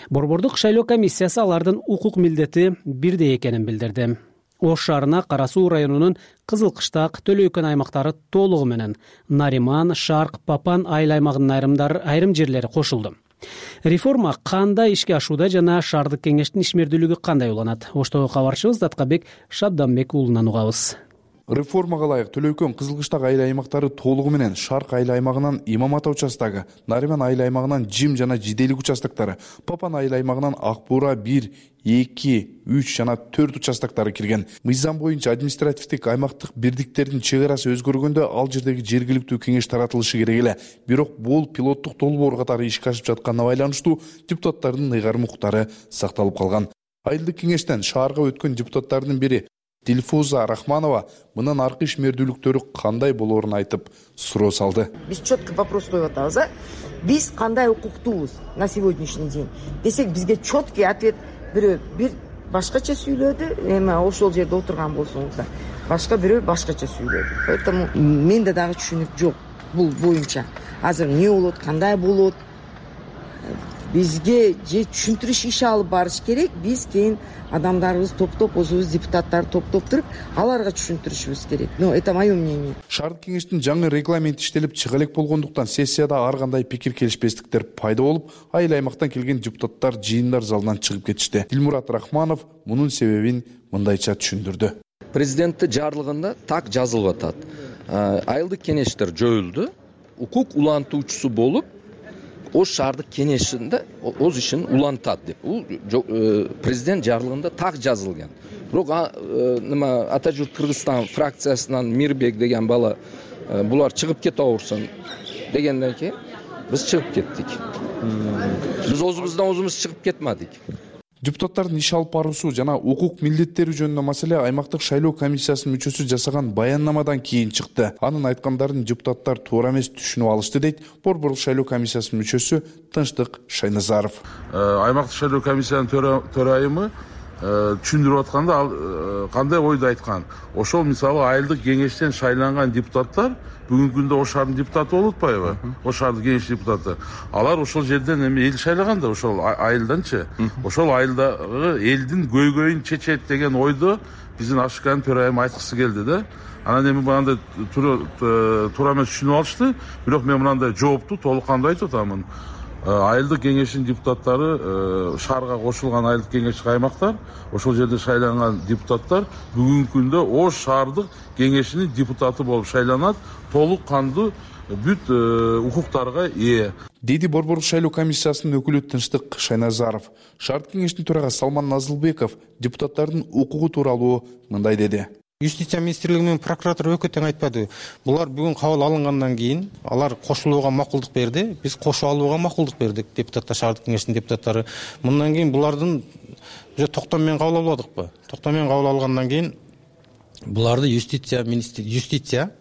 Борбордук шайлоо комиссиясы алардын укук милдети бирдей экенин билдирди. Ош шаарына Кара Суу районунун Кызыл Кыштак, Төлөйкөн аймактары толугу менен Нариман, Шарк, Папан айыл аймагынын айрымдары айрым жерлери кошулду. Реформа кандай ишке ашууда жана шаардык кеңештин ишмердүүлүгү кандай уланат? Оштогу кабарчыбыз Даткабек Шабданбек уулунан угабыз. Реформага ылайык Төлөйкөн, Кызыл Кыштак айыл аймактары толугу менен Шарк айыл аймагынан Имам Ата участогу, Нариман айыл аймагынан Жим жана Жиделик участоктору, Папан айыл аймагынан Ак Буура бир, эки, үч жана төрт участоктору кирген. Мыйзам боюнча административдик аймактык бирдиктердин чек арасы өзгөргөндө ал жердеги жергиликтүү кеңеш таратылышы керек эле. Бирок бул пилоттук долбоор катары ишке ашып жатканына байланыштуу депутаттардын ыйгарым укуктары сакталып калган. Айылдык кеңештен шаарга өткөн депутаттардын бири Дилфуза Рахманова мындан аркы ишмердүүлүктөрү кандай болоорун айтып суроо салды. Биз четко вопрос коюп атабыз, а? Биз кандай укуктуубуз на сегодняшний день? Десек бизге четкий ответ бирөө бир башкача сүйлөдү, эми ошол жерде отурган болсоңуздар. Башка бирөө башкача сүйлөдү. Поэтому менде дагы түшүнүк жок бул боюнча. Азыр эмне болот, кандай болот? бизге же түшүндүрүш иши алып барыш керек. Биз кийин адамдарыбыз топтоп, өзүбүз депутаттар топтоп туруп, аларга түшүндүрүшүбүз керек. Но это мое мнение. Шаардык кеңештин жаңы регламенти иштелип чыга элек болгондуктан сессияда ар кандай пикир келишпестиктер пайда болуп, айыл аймактан келген депутаттар жыйындар залынан чыгып кетишти. Дилмурат Рахманов мунун себебин мындайча түшүндүрдү. Президенттин жарлыгында так жазылып атат. Айылдык кеңештер жоюлду. Укук улантуучусу болуп, Ош шаардык кеңешинде өз ишин улантат деп. Бул президент жарлыгында так жазылган. Бирок нема Атажурт Кыргызстан фракциясынан Мирбек деген бала булар чыгып кете берсин дегенден кийин биз чыгып кеттик. Биз өзүбүздөн өзүбүз чыгып кетмедик. Депутаттардын иш алып баруусу жана укук милдеттери жөнүндө маселе аймактык шайлоо комиссиясынын мүчөсү жасаган баяндамадан кийин чыкты. Анын айткандарын депутаттар туура эмес түшүнүп алышты дейт Борборлук шайлоо комиссиясынын мүчөсү Тынчтык Шайназаров. Аймактык шайлоо комиссиянын төрайымы түшүндүрүп атканда ал кандай ойду айткан. Ошол мисалы айылдык кеңештен шайланган депутаттар бүгүнкү күндө Ош шаарынын депутаты болуп атпайбы? Ош шаардык кеңеш депутаты. Алар ошол жерден эми эл шайлаган да, ошол айылданчы. Ошол айылдагы элдин көйгөйүн чечет деген ойду биздин Ашыканын төрайымы айткысы келди да. Анан эми мындай туура эмес түшүнүп алышты. Бирок мен мындай жоопту толук кандай айтып атамын. Айылдык кеңештин депутаттары, шаарга кошулган айылдык кеңештик аймактар, ошол жерде шайланган депутаттар бүгүнкү күндө Ош шаардык кеңешинин депутаты болуп шайланат, толук кандуу бүт укуктарга ээ. Деди Борборлук шайлоо комиссиясынын өкүлү Тынчтык Шайназаров. Шаардык кеңештин төрагасы Салман Назылбеков депутаттардын укугу тууралуу мындай деди. Юстиция министрлиги менен прокуратура өкө тең айтпады. Булар бүгүн кабыл алынгандан кийин алар кошулууга макулдук берди. Биз кошуп алууга макулдук бердик, депутаттар, шаардык кеңештин депутаттары. Мындан кийин булардын уже токтом менен кабыл алып алдыкпы? Токтом менен кабыл алгандан кийин буларды юстиция министри юстиция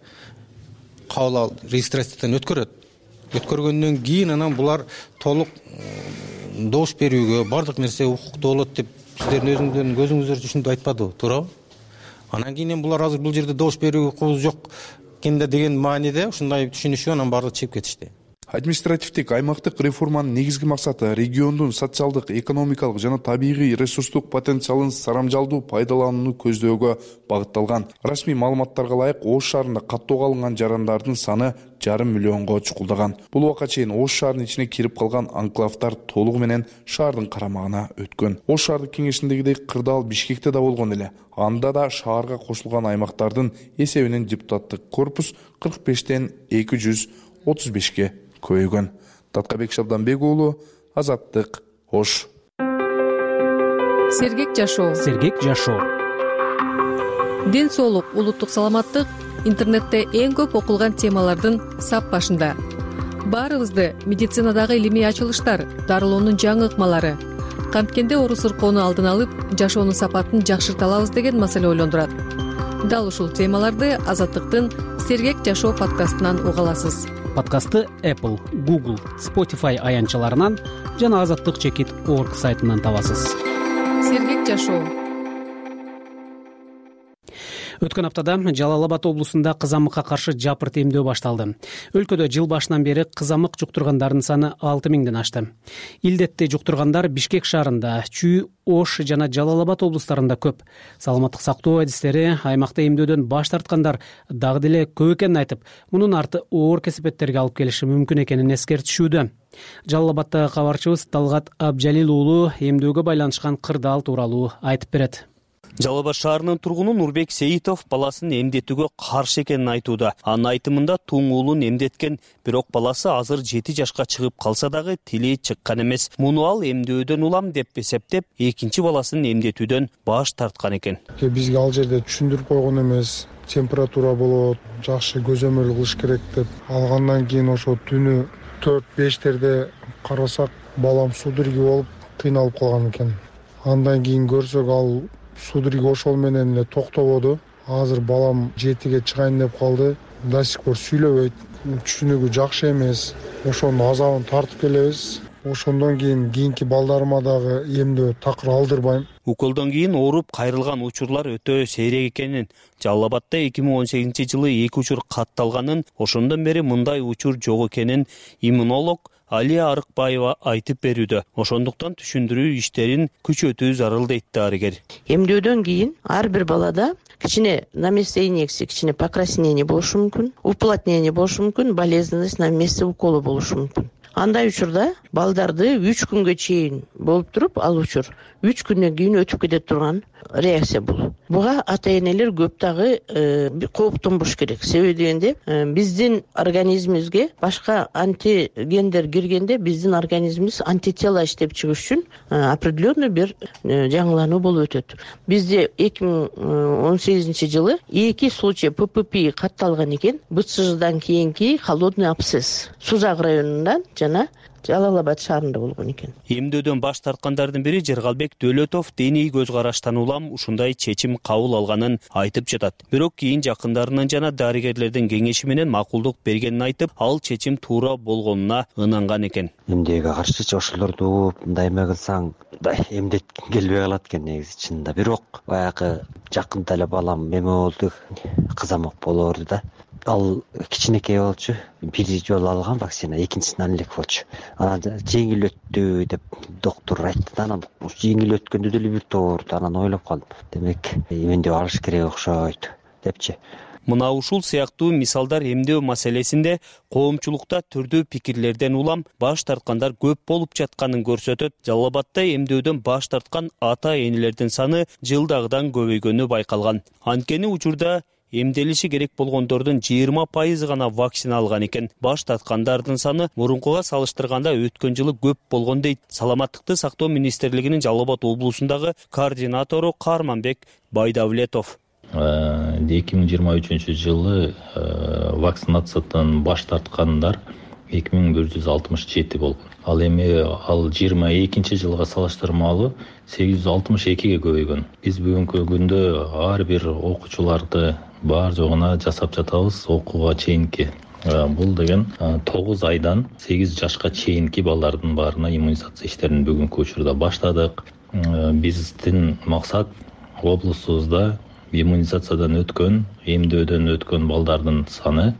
кабыл ал регистрациядан өткөрөт. Өткөргөндөн кийин анан булар толук добуш берүүгө, бардык нерсе укуктуу болот деп сиздердин өзүңүздөрдүн көзүңүздөр түшүнүп айтпадыбы, туурабы? Анан кийин булар азыр бул жерде добуш берүү укугубуз жок экенде деген мааниде ушундай түшүнүшүп анан баардыгы чыгып кетишти. Административдик аймактык реформанын негизги максаты региондун социалдык, экономикалык жана табигый ресурстук потенциалын сарамжалдуу пайдаланууну көздөөгө багытталган. Расмий маалыматтарга ылайык Ош шаарында каттоого алынган жарандардын саны жарым миллионго чукулдаган. Бул убакка чейин Ош шаарынын ичине кирип калган анклавдар толугу менен шаардын карамагына өткөн. Ош шаардык кеңешиндегидей кырдаал Бишкекте да болгон эле. Анда да шаарга кошулган аймактардын эсебинен депутаттык корпус кырк бештен эки жүз отуз бешке көйгөн. Таткабек Шабданбек уулу, Азаттык, Ош. Сергек жашоо. Сергек жашоо. Ден соолук, улуттук саламаттык интернетте эң көп окулган темалардын сап башында. Баарыбызды медицинадагы илимий ачылыштар, дарылоонун жаңы ыкмалары, канткенде оору сыркоону алдын алып, жашоонун сапатын жакшырта алабыз деген маселе ойлондурат. Дал ушул темаларды Азаттыктын Сергек жашоо подкастынан уга аласыз. Подкастты Apple, Google, Spotify аянтчаларынан жана азаттык чекит точка орг сайтынан табасыз. Сергек жашоо. Өткөн аптада Жалал Абад облусунда кызамыкка каршы жапырт эмдөө башталды. Өлкөдө жыл башынан бери кызамык жуктургандардын саны алты миңден ашты. Илдетти жуктургандар Бишкек шаарында, Чүй, Ош жана Жалал Абад облустарында көп. Саламаттык сактоо адистери аймакта эмдөөдөн баш тарткандар дагы деле көп экенин айтып, мунун арты оор кесепеттерге алып келиши мүмкүн экенин эскертишүүдө. Жалал Абадтагы кабарчыбыз Талгат Абжалил уулу эмдөөгө байланышкан кырдаал тууралуу айтып берет. Жалал Абад шаарынын тургуну Нурбек Сейитов баласын эмдетүүгө каршы экенин айтууда. Анын айтымында туң уулун эмдеткен, бирок баласы азыр жети жашка чыгып калса дагы тили чыккан эмес. Муну ал эмдөөдөн улам деп эсептеп, экинчи баласын эмдетүүдөн баш тарткан экен. Бизге ал жерде түшүндүрүп койгон эмес. Температура болот, жакшы көзөмөл кылыш керек деп. Алгандан кийин ошо түнү төрт бештерде карасак, балам судороги болуп кыйналып калган экен. Андан кийин көрсөк ал судороги ошол менен эле токтободу. Азыр балам жетиге чыгайын деп калды. До сих пор сүйлөбөйт. Түшүнүгү жакшы эмес. Ошонун азабын тартып келебиз. Ошондон кийин кийинки балдарыма дагы эмдөө такыр алдырбайм. Уколдон кийин ооруп кайрылган учурлар өтө сейрек экенин, Жалал Абадта эки миң он сегизинчи жылы эки учур катталганын, ошондон бери мындай учур жок экенин иммунолог Алия Арыкбаева айтып берүүдө. Ошондуктан түшүндүрүү иштерин күчөтүү зарыл дейт дарыгер. Эмдөөдөн кийин ар бир балада кичине на месте инъекции, кичине покраснение болушу мүмкүн, уплотнение болушу мүмкүн, болезненность на месте укола болушу мүмкүн. Андай учурда балдарды үч күнгө чейин болуп туруп, ал учур үч күндөн кийин өтүп кете турган реакция бул. Буга ата энелер көп дагы кооптонбош керек. Себеби дегенде биздин организмибизге башка антигендер киргенде биздин организмибиз антитела иштеп чыгыш үчүн определенный бир жаңылануу болуп өтөт. Бизде эки миң он сегизинчи жылы эки случай П П П катталган экен. Б Ц Ждан кийинки холодный абсцесс Сузак районунда жана Жалал-Абад шаарында болгон экен. Эмдөөдөн баш тарткандардын бири Жергалбек Дөлөтов диний көз караштан улам ушундай чечим кабыл алганын айтып жатат. Бирок кийин жакындарынын жана дарыгерлердин кеңеши менен макулдук бергенин айтып, ал чечим туура болгонуна ынанган экен. Эмдөөгө каршы ошолорду мындай эме кылсаң, эмдеткин келбей калат экен негизи чынында. Бирок баягы жакында эле балам эме болду, кызамык болоорду да. Ал кичинекей болчу, бир жолу алган вакцина, экинчисинен элек болчу. Анан жеңил өттү деп доктор айтты. Анан жеңил өткөндө деле бир тоорду. Анан ойлоп калдым. Демек, эмдөө алыш керек окшойт депчи. Мына ушул сыяктуу мисалдар эмдөө маселесинде коомчулукта түрдүү пикирлерден улам баш тарткандар көп болуп жатканын көрсөтөт. Жалал-Абадда эмдөөдөн баш тарткан ата энелердин саны жылдагыдан көбөйгөнү байкалган. Анткени учурда эмделиши керек болгондордун жыйырма пайызы гана вакцина алган экен. Баш тарткандардын саны мурункуга салыштырганда өткөн жылы көп болгон дейт Саламаттыкты сактоо министрлигинин Жалал-Абад облусундагы координатору Карманбек Байдавлетов. эки миң жыйырма үчүнчү жылы вакцинациядан баш тарткандар эки миң бир жүз алтымыш жети болгон. Ал эми ал жыйырма экинчи жылга салыштырмалуу сегиз жүз алтымыш экиге көбөйгөн. Биз бүгүнкү күндө ар бир окуучуларды бар жогуна жасап жатабыз окууга чейинки. Бул деген тогуз айдан сегиз жашка чейинки балдардын баарына иммунизация иштерин бүгүнкү учурда баштадык. Биздин максат облусубузда иммунизациядан өткөн, эмдөөдөн өткөн балдардын саны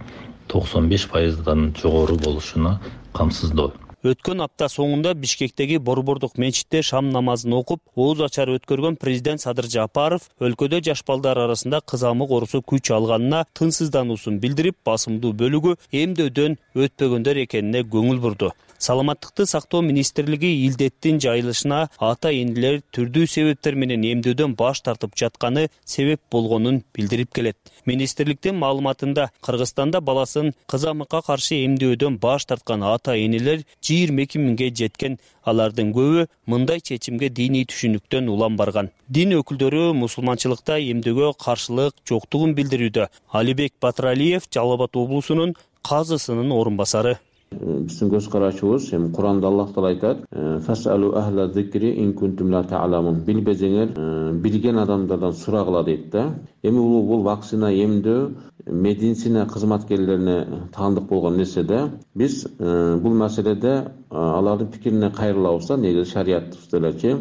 токсон беш пайыздан жогору болушуна камсыздоо. Өткөн апта соңунда Бишкектеги Борбордук мечитте шам намазын окуп, ооз ачар өткөргөн президент Садыр Жапаров өлкөдө жаш балдар арасында кызамык оорусу күч алганына тынчсыздануусун билдирип, басымдуу бөлүгү эмдөөдөн өтпөгөндөр экенине көңүл бурду. Саламаттыкты сактоо министрлиги илдеттин жайылышына ата энелер түрдүү себептер менен эмдөөдөн баш тартып жатканы себеп болгонун билдирип келет. Министрликтин маалыматында Кыргызстанда баласын кызамыкка каршы эмдөөдөн баш тарткан ата энелер жыйырма эки миңге жеткен. Алардын көбү мындай чечимге диний түшүнүктөн улам барган. Дин өкүлдөрү мусулманчылыкта эмдөөгө каршылык жоктугун билдирүүдө. Алибек Батыралиев Жалал-Абад облусунун казысынын орун басары. Биздин көз карашыбыз, эми Куранда Аллах Таала айтат: "Фасалу ахла зикри ин кунтум ла та'ламун." Билбесеңер, билген адамдардан сурагыла дейт да. Эми бул бул вакцина эмдөө медицина кызматкерлерине таандык болгон нерсе да. Биз бул маселеде алардын пикирине кайрылабыз да, негизи шариятыбызда элечи.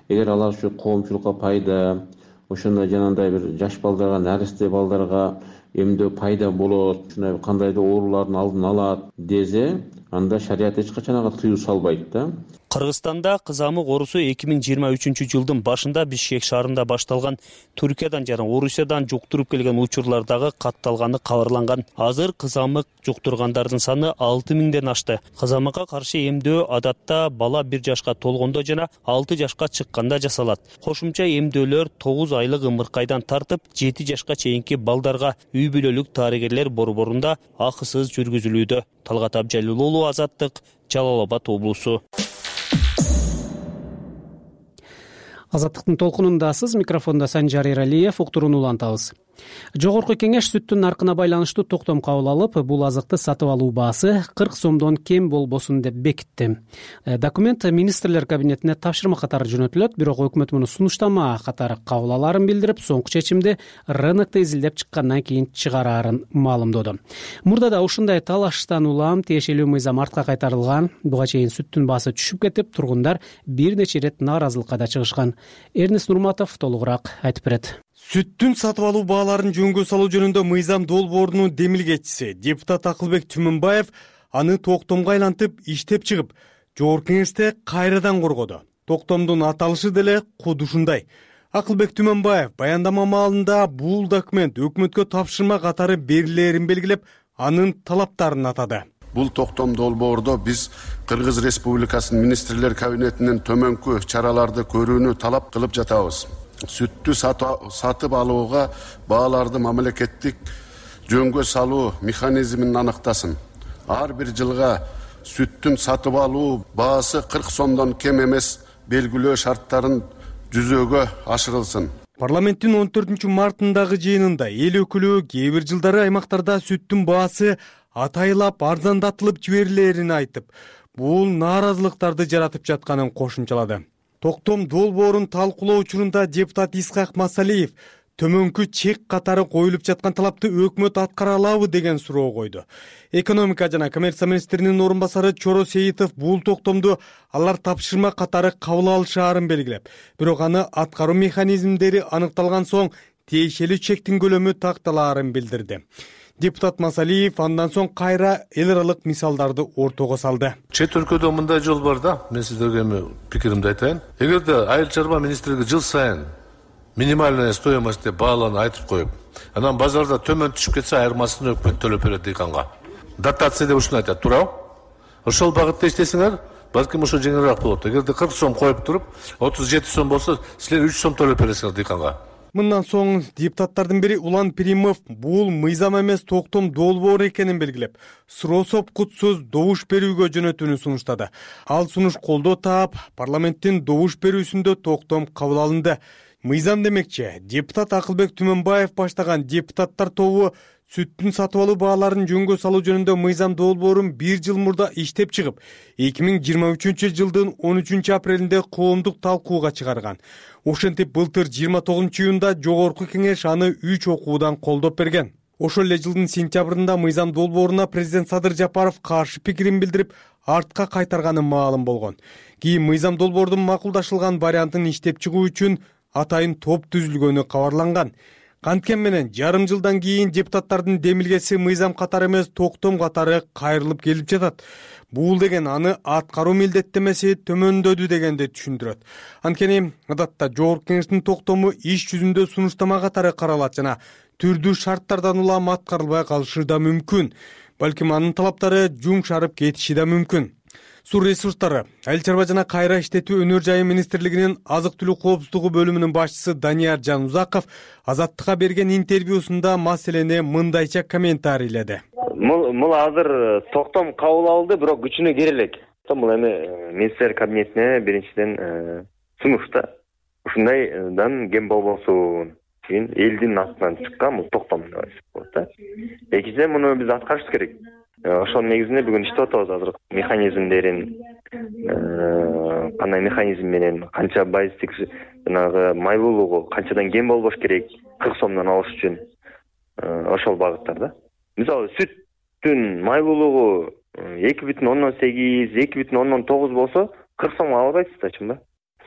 Эгер алар ушу коомчулукка пайда, ошондой жанагындай бир жаш балдарга, наристе балдарга эмдөө пайда болот, ушундай кандайдыр оорулардын алдын алат десе, анда шарият эч качан ага тыюу салбайт да. Кыргызстанда кызамык оорусу эки миң жыйырма үчүнчү жылдын башында Бишкек шаарында башталган, Түркиядан жана Орусиядан жуктуруп келген учурлардагы катталганы кабарланган. Азыр кызамык жуктургандардын саны алты миңден ашты. Кызамыкка каршы эмдөө адатта бала бир жашка толгондо жана алты жашка чыкканда жасалат. Кошумча эмдөөлөр тогуз айлык ымыркайдан тартып жети жашка чейинки балдарга үй бүлөлүк дарыгерлер борборунда акысыз жүргүзүлүүдө. Талгат Абжалил уулу, Азаттык, Жалал-Абад облусу. Азаттыктын толкунундасыз. Микрофондо Санжар Эралиев. Уктурууну улантабыз. Жогорку кеңеш сүттүн наркына байланыштуу токтом кабыл алып, бул азыкты сатып алуу баасы кырк сомдон кем болбосун деп бекитти. Документ министрлер кабинетине тапшырма катары жөнөтүлөт, бирок өкмөт муну сунуштама катары кабыл алаарын билдирип, соңку чечимди рынокто изилдеп чыккандан кийин чыгараарын маалымдоду. Мурда да ушундай талаштан улам тиешелүү мыйзам артка кайтарылган. Буга чейин сүттүн баасы түшүп кетип, тургундар бир нече ирет нааразылыкка да чыгышкан. Эрнест Нурматов толугураак айтып берет. Сүттүн сатып алуу бааларын жөнгө салуу жөнүндө мыйзам долбоорунун демилгечиси депутат Акылбек Түмөнбаев аны токтомго айлантып иштеп чыгып, жогорку кеңеште кайрадан коргоду. Токтомдун аталышы деле куду ушундай. Акылбек Түмөнбаев баяндама маалында бул документ өкмөткө тапшырма катары берилерин белгилеп, анын талаптарын атады. Бул токтом долбоордо биз Кыргыз Республикасынын министрлер кабинетинен төмөнкү чараларды көрүүнү талап кылып жатабыз. Сүттү сатып алууга бааларды мамлекеттик жөнгө салуу механизмин аныктасын. Ар бир жылга сүттүн сатып алуу баасы кырк сомдон кем эмес белгилөө шарттарын жүзөгө ашырылсын. Парламенттин он төртүнчү мартындагы жыйынында эл өкүлү кээ бир жылдары аймактарда сүттүн баасы атайлап арзандатылып жиберилерин айтып, бул нааразылыктарды жаратып жатканын кошумчалады. Токтом долбоорун талкуулоо учурунда депутат Исхак Масалиев төмөнкү чек катары коюлуп жаткан талапты өкмөт аткара алабы деген суроо койду. Экономика жана коммерция министринин орун басары Чоро Сейитов бул токтомду алар тапшырма катары кабыл алышаарын белгилеп, бирок аны аткаруу механизмдери аныкталган соң тиешелүү чектин көлөмү такталаарын билдирди. Депутат Масалиев андан соң кайра эл аралык мисалдарды ортого салды. Чет өлкөдө мындай жол бар да, мен сиздерге эми пикиримди айтайын. Эгерде айыл чарба министрлиги жыл сайын минимальная стоимость деп бааларын айтып коюп, анан базарда төмөн түшүп кетсе айырмасын өкмөт төлөп берет дыйканга. Дотация деп ушуну айтат, туурабы? Ошол багытта иштесеңер, балким ошо жеңилирээк болот. Эгерде кырк сом коюп туруп, отуз жети сом болсо, силер үч сом төлөп бересиңер дыйканга. Мындан соң депутаттардын бири Улан Перимов бул мыйзам эмес токтом долбоор экенин белгилеп, суроосоп кутсуз добуш берүүгө жөнөтүүнү сунуштады. Ал сунуш колдоо таап, парламенттин добуш берүүсүндө токтом кабыл алынды. Мыйзам демекчи, депутат Акылбек Түмөнбаев баштаган депутаттар тобу сүттүн сатып алуу бааларын жөнгө салуу жөнүндө мыйзам долбоорун бир жыл мурда иштеп чыгып, эки миң жыйырма үчүнчү жылдын он үчүнчү апрелинде коомдук талкууга чыгарган. Ошентип былтыр жыйырма тогузунчу июнда жогорку кеңеш аны үч окуудан колдоп берген. Ошол эле жылдын сентябрында мыйзам долбооруна президент Садыр Жапаров каршы пикирин билдирип, артка кайтарганы маалым болгон. Кийин мыйзам долбоордун макулдашылган вариантын иштеп чыгуу үчүн атайын топ түзүлгөнү кабарланган. Канткен менен жарым жылдан кийин депутаттардын демилгеси мыйзам катары эмес токтом катары кайрылып келип жатат. Бул деген аны аткаруу милдеттемеси төмөндөдү дегенди түшүндүрөт. Анткени адатта жогорку кеңештин токтому иш жүзүндө сунуштама катары каралат жана түрдүү шарттардан улам аткарылбай калышы да мүмкүн. Балким анын талаптары жумшарып кетиши да мүмкүн. Суу ресурстары, айыл чарба жана кайра иштетүү өнөр жайы министрлигинин азык түлүк коопсуздугу бөлүмүнүн башчысы Данияр Жанузаков Азаттыкка берген интервьюсунда маселени мындайча комментарийледи. Бул азыр токтом кабыл алынды, бирок күчүнө кире элек. Бул эми министрлер кабинетине биринчиден сунуш да. Ушундайдан кем болбосун. Кийин элдин астынан чыккан бул токтом деп болот да. Экинчиден муну биз аткарышыбыз керек. Ошол негизинде бүгүн иштеп атабыз азыр механизмдерин, кандай механизм менен канча базистик жанагы майлуулугу канчадан кем болбош керек кырк сомдон алыш үчүн ошол багыттар да. Мисалы сүттүн майлуулугу эки бүтүн ондон сегиз, эки бүтүн ондон тогуз болсо кырк сомго ала албайсыз да, чынбы?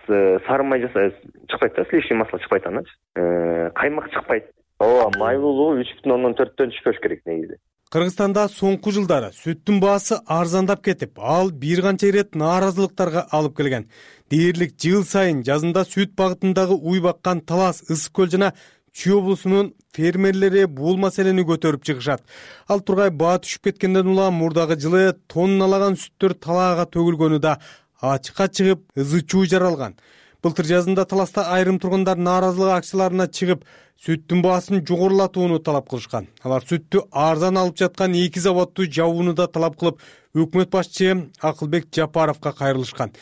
Сары май жаса чыкпайт да, сливочный масло чыкпайт андан. Каймак чыкпайт. Ооба, майлуулугу үч бүтүн ондон төрттөн түшпөш керек негизи. Кыргызстанда соңку жылдары сүттүн баасы арзандап кетип, ал бир канча ирет нааразылыктарга алып келген. Дээрлик жыл сайын жазында сүт багытындагы уй баккан Талас, Ысык көл жана Чүй облусунун фермерлери бул маселени көтөрүп чыгышат. Ал тургай баа түшүп кеткенден улам мурдагы жылы тонналаган сүттөр талаага төгүлгөнү да ачыкка чыгып, ызы чуу жаралган. Былтыр жазында Таласта айрым тургундар нааразылык акцияларына чыгып, сүттүн баасын жогорулатууну талап кылышкан. Алар сүттү арзан алып жаткан эки заводду жабууну да талап кылып, өкмөт башчы Акылбек Жапаровго кайрылышкан.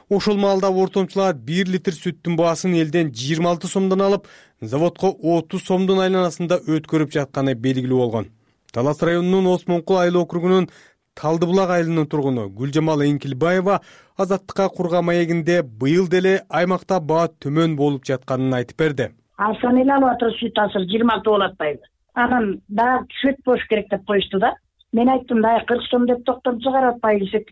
Ошол маалда ортомчулар бир литр сүттүн баасын элден жыйырма алты сомдон алып, заводко отуз сомдун айланасында өткөрүп жатканы белгилүү болгон. Талас районунун Осмонкул айыл округунун Талдыбулак айылынын тургуну Гүлжамал Эңкилбаева Азаттыкка курга маегинде быйыл деле аймакта баа төмөн болуп жатканын айтып берди. Алсан эле алып атыр сүт азыр жыйырма алты болуп атпайбы. Анан дагы сүт болуш керек деп коюшту да. Мен айттым да кырк сом деп токтом чыгарып атпай десек,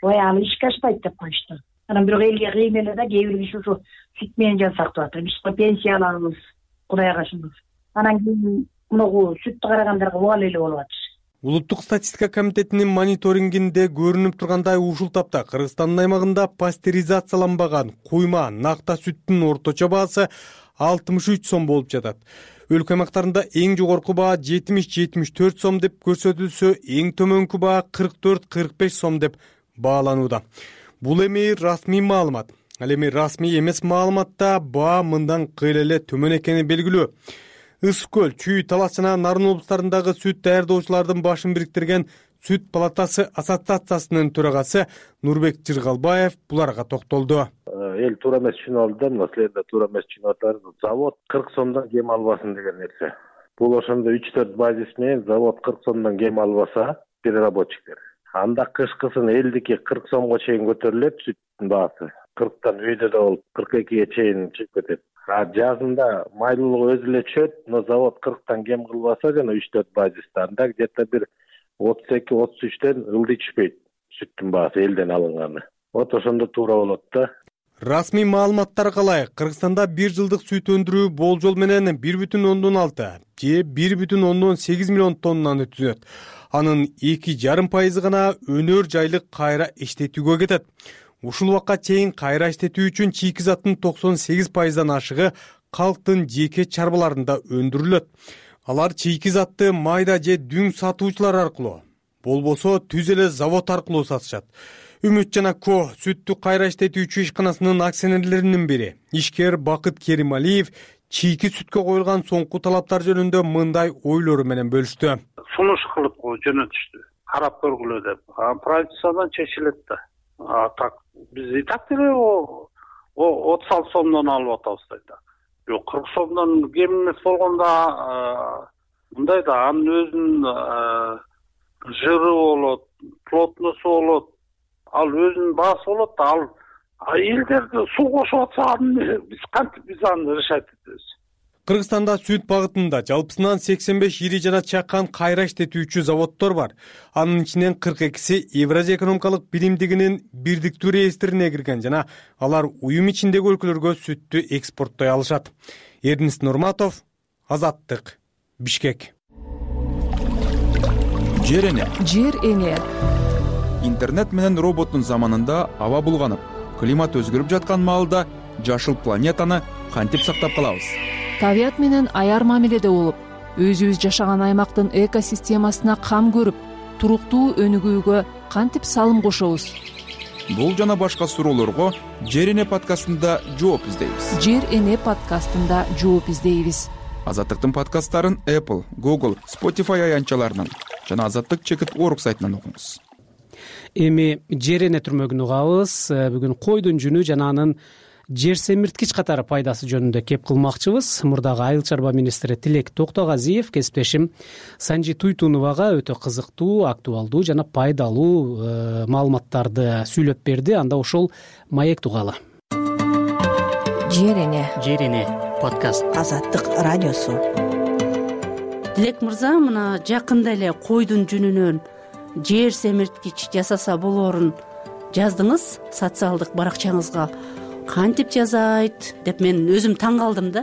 ой ал ишке ашпайт деп коюшту. Анан бирок элге кыйын эле да, кээ бир киши ушу сүт менен жан сактап атат. Биз пенсия алабыз, Кудайга шүгүр. Анан кийин муну сүттү карагандарга убал эле болуп атыр. Улуттук статистика комитетинин мониторингинде көрүнүп тургандай ушул тапта Кыргызстандын аймагында пастеризацияланбаган куйма накта сүттүн орточо баасы алтымыш үч сом болуп жатат. Өлкө аймактарында эң жогорку баа жетимиш жетимиш төрт сом деп көрсөтүлсө, эң төмөнкү баа кырк төрт кырк беш сом деп бааланууда. Бул эми расмий маалымат. Ал эми расмий эмес маалыматта баа мындан кыйла эле төмөн экени белгилүү. Ысык көл, Чүй, Талас жана Нарын облустарындагы сүт даярдоочулардын башын бириктирген Сүт палатасы ассоциациясынын төрагасы Нурбек Жыргалбаев буларга токтолду. Эл туура эмес түшүнүп алды да, мына силер да туура эмес түшүнүп атасыздар. Завод кырк сомдон кем албасын деген нерсе. Бул ошондо үч төрт базис менен завод кырк сомдон кем албаса, переработчиктер. Анда кышкысын элдики кырк сомго чейин көтөрүлөт сүттүн баасы. кырктан үйдө да болуп кырк экиге чейин чыгып кетет. А жазында майлуулугу өзү эле түшөт, но завод кырктан кем кылбаса жана үч төрт базиста анда где-то бир отуз эки отуз үчтөн ылдый түшпөйт сүттүн баасы элден алынганы. Вот ошондо туура болот да. Расмий маалыматтарга ылайык, Кыргызстанда бир жылдык сүт өндүрүү болжол менен бир бүтүн ондон алты же бир бүтүн ондон сегиз миллион тоннаны түзөт. Анын эки жарым пайызы гана өнөр жайлык кайра иштетүүгө кетет. Ушул убакка чейин кайра иштетүү үчүн чийки заттын токсон сегиз пайыздан ашыгы калктын жеке чарбаларында өндүрүлөт. Алар чийки затты майда же дүң сатуучулар аркылуу, болбосо түз эле завод аркылуу сатышат. Үмүт жана Ко сүттү кайра иштетүүчү ишканасынын акционерлеринин бири ишкер Бакыт Керималиев чийки сүткө коюлган соңку талаптар жөнүндө мындай ойлору менен бөлүштү. Сунуш кылып жөнөтүштү, карап көргүлө деп. Правительстводон чечилет да. А так биз и так деле отуз алты сомдон алып атабыз да. Жок, кырк сомдон кем эмес болгондо мындай да, анын өзүнүн жыры болот, плотносу болот, ал өзүнүн баасы болот да. Ал элдерди суу кошуп атса, биз кантип биз аны решать этебиз? Кыргызстанда сүт багытында жалпысынан сексен беш ири жана чакан кайра иштетүүчү заводдор бар. Анын ичинен кырк экиси Евразия экономикалык биримдигинин бирдиктүү реестрине кирген жана алар уюм ичиндеги өлкөлөргө сүттү экспорттой алышат. Эрнис Нурматов, Азаттык, Бишкек. Жер эне. Жер эне. Интернет менен роботтун заманында аба булганып, климат өзгөрүп жаткан маалда жашыл планетаны кантип сактап калабыз? Табият менен аяр мамиледе болуп, өзүбүз жашаган аймактын экосистемасына кам көрүп, туруктуу өнүгүүгө кантип салым кошобуз? Бул жана башка суроолорго Жер эне подкастында жооп издейбиз. Жер эне подкастында жооп издейбиз. Азаттыктын подкасттарын Apple, Google, Spotify аянтчаларынан жана Азаттык чекит орг сайтынан окуңуз. Эми жер эне түрмөгүн угабыз. Бүгүн койдун жүнү жана анын жер семирткич катары пайдасы жөнүндө кеп кылмакчыбыз. Мурдагы айыл чарба министри Тилек Токтогазиев кесиптешим Санжи Туйтуновага өтө кызыктуу, актуалдуу жана пайдалуу маалыматтарды сүйлөп берди. Анда ошол маек тугалы. Жер эне. Жер эне подкаст. Азаттык радиосу. Тилек мырза, мына жакында эле койдун жүнүнөн жер семирткич жасаса болоорун жаздыңыз социалдык баракчаңызга. Кантип жазайт деп мен өзүм таң калдым да.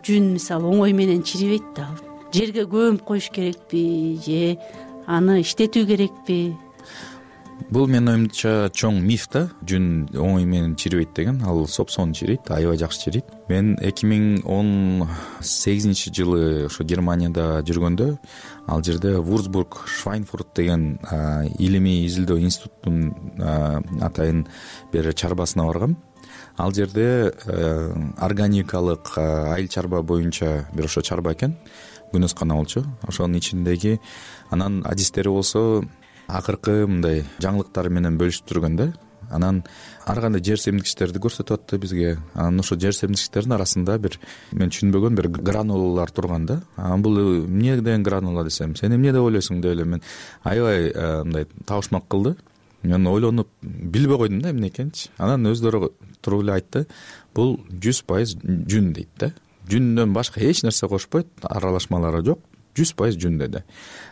Жүн мисалы оңой менен чирибейт да. Жерге көмүп коюш керекпи же аны иштетүү керекпи? Бул менин оюмча чоң миф да. Жүн оңой менен чирибейт деген. Ал сопсоон чирийт, аябай жакшы чирийт. Мен эки миң он сегизинчи жылы ошо Германияда жүргөндө, ал жерде Вурцбург Швайнфурт деген илимий изилдөө институтунун атайын бир чарбасына баргам. Ал жерде органикалык айыл чарба боюнча бир ошо чарба экен, күнөскана болчу. Ошонун ичиндеги анан адистери болсо акыркы мындай жаңылыктары менен бөлүшүп жүргөн да. Анан ар кандай жер семирткичтерди көрсөтүп атты бизге. Анан ошо жер семирткичтердин арасында бир мен түшүнбөгөн бир гранулалар турган да. Бул эмне деген гранула десем, сен эмне деп ойлойсуң деп эле мен аябай мындай табышмак кылды. Мен ойлонуп билбей койдум да эмне экенчи. Анан өздөрү туруп эле айтты, бул жүз пайыз жүн дейт да. Жүндөн башка эч нерсе кошпойт, аралашмалары жок, жүз пайыз жүн деди.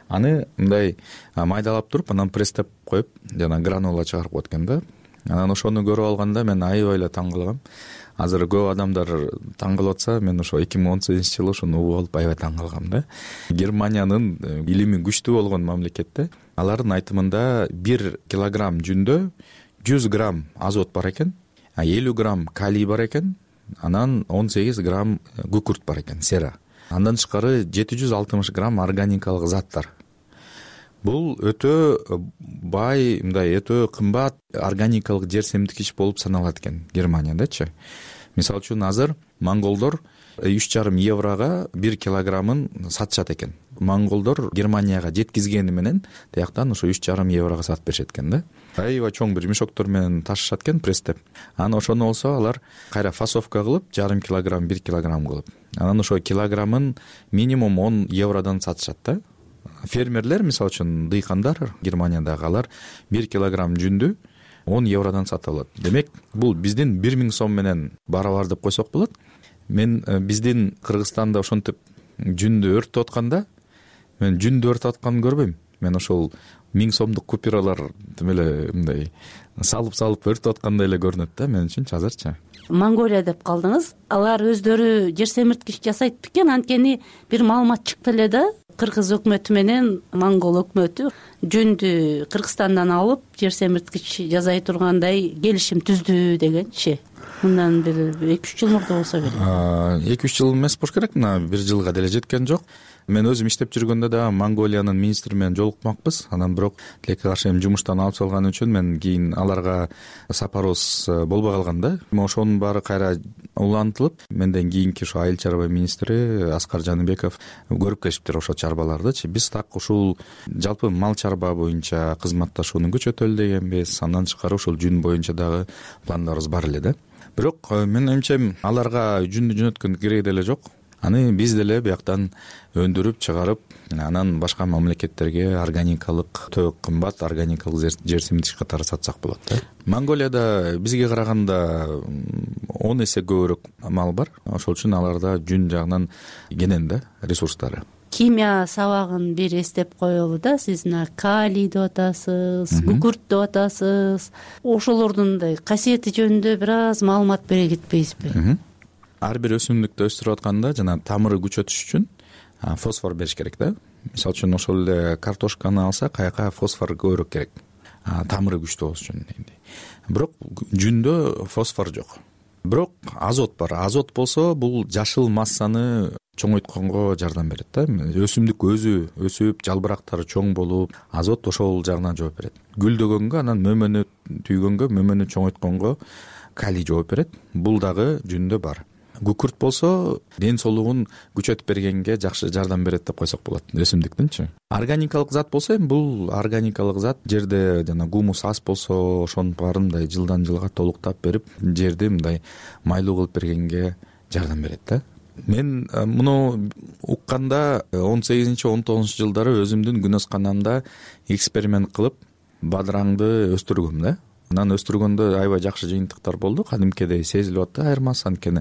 Аны мындай майдалап туруп, анан пресстеп коюп, жана гранула чыгарып коет экен да. Анан ошону көрүп алганда мен аябай эле таң калгам. азыр көп адамдар таң калып атса, мен ошо эки миң он сегизинчи жылы ушуну угуп алып аябай таң калгам да. Германиянын илими күчтүү болгон мамлекетте алардын айтымында бир килограмм жүндө жүз грамм азот бар экен, элүү грамм калий бар экен, анан он сегиз грамм күкүрт бар экен, сера. Андан тышкары жети жүз алтымыш грамм органикалык заттар. Бул өтө бай, мындай өтө кымбат органикалык жер семирткич болуп саналат экен Германиядачы. Мисалы үчүн азыр монголдор үч жарым еврого бир килограммын сатышат экен. Монголдор Германияга жеткизгени менен тияктан ошо үч жарым еврого сатып беришет экен да. Аябай чоң бир мешоктор менен ташышат экен пресстеп. Анан ошону болсо алар кайра фасовка кылып, жарым килограмм, бир килограмм кылып. Анан ошо килограммын минимум он евродон сатышат да. Фермерлер, мисалы үчүн дыйкандар Германиядагы, алар бир килограмм жүндү он евродон сатып алат. Демек, бул биздин бир миң сом менен барабар деп койсок болот. Мен биздин Кыргызстанда ошентип жүндү өртөп атканда, мен жүндү өртөп атканын көрбөйм. Мен ошол миң сомдук купюралар тим эле мындай салып-салып өртөп аткандай эле көрүнөт да мен үчүнчү азырчы. Монголия деп калдыңыз. Алар өздөрү жер семирткич жасайт бекен? Анткени бир маалымат чыкты эле да. Кыргыз өкмөтү менен монгол өкмөтү жүндү Кыргызстандан алып жер семирткич жасай тургандай келишим түздү дегенчи. Мындан бир эки үч жыл мурда болсо керек. эки үч жыл эмес болуш керек, мына бир жылга деле жеткен жок. Мен өзүм иштеп жүргөндө да Монголиянын министри менен жолукмакпыз. Анан бирок тилекке каршы эми жумуштан алып салганы үчүн мен кийин аларга сапарыбыз болбой калган да. Ошонун баары кайра улантылып, менден кийинки ошо айыл чарба министри Аскар Жаныбеков көрүп келишиптир ошо чарбалардычы. Биз так ушул жалпы мал чарба боюнча кызматташууну күчөтөлү дегенбиз. Андан тышкары ушул жүн боюнча дагы пландарыбыз бар эле да. Бирок менин оюмча аларга жүндү жөнөткөн кереги деле жок. Аны биз деле бияктан өндүрүп чыгарып, анан башка мамлекеттерге органикалык, өтө кымбат органикалык жер семирткич катары сатсак болот да. Монголияда бизге караганда он эсе көбүрөөк мал бар. Ошол үчүн аларда жүн жагынан кенен да ресурстары. Химия сабагын бир эстеп коелу да. Сиз мына калий деп атасыз, күкүрт деп атасыз. Ошолордун касиети жөнүндө бир аз маалымат бере кетпейсизби? Ар бир өсүмдүктү өстүрүп атканда жана тамыры күчөтүш үчүн фосфор бериш керек да. Мисалы үчүн ошол эле картошканы алсак, аяка фосфор көбүрөөк керек. Тамыры күчтүү болуш үчүн. Бирок жүндө фосфор жок. Бирок азот бар. Азот болсо бул жашыл массаны чоңойтконго жардам берет да. Өсүмдүк өзү өсүп, жалбырактары чоң болуп, азот ошол жагынан жооп берет. Гүлдөгөнгө, анан мөмөнү түйгөнгө, мөмөнү чоңойтконго калий жооп берет. Бул дагы жүндө бар. Күкүрт болсо ден соолугун күчөтүп бергенге жакшы жардам берет деп койсок болот өсүмдүктүнчү. Органикалык зат болсо эми бул органикалык зат жерде жана гумус аз болсо ошонун баарын мындай жылдан жылга толуктап берип, жерди мындай майлуу кылып бергенге жардам берет да. Мен муну укканда он сегизинчи он тогузунчу жылдары өзүмдүн күнөсканамда эксперимент кылып бадыраңды өстүргөм да. Анан өстүргөндө аябай жакшы жыйынтыктар болду. Кадимкидей сезилип атты айырмасы, анткени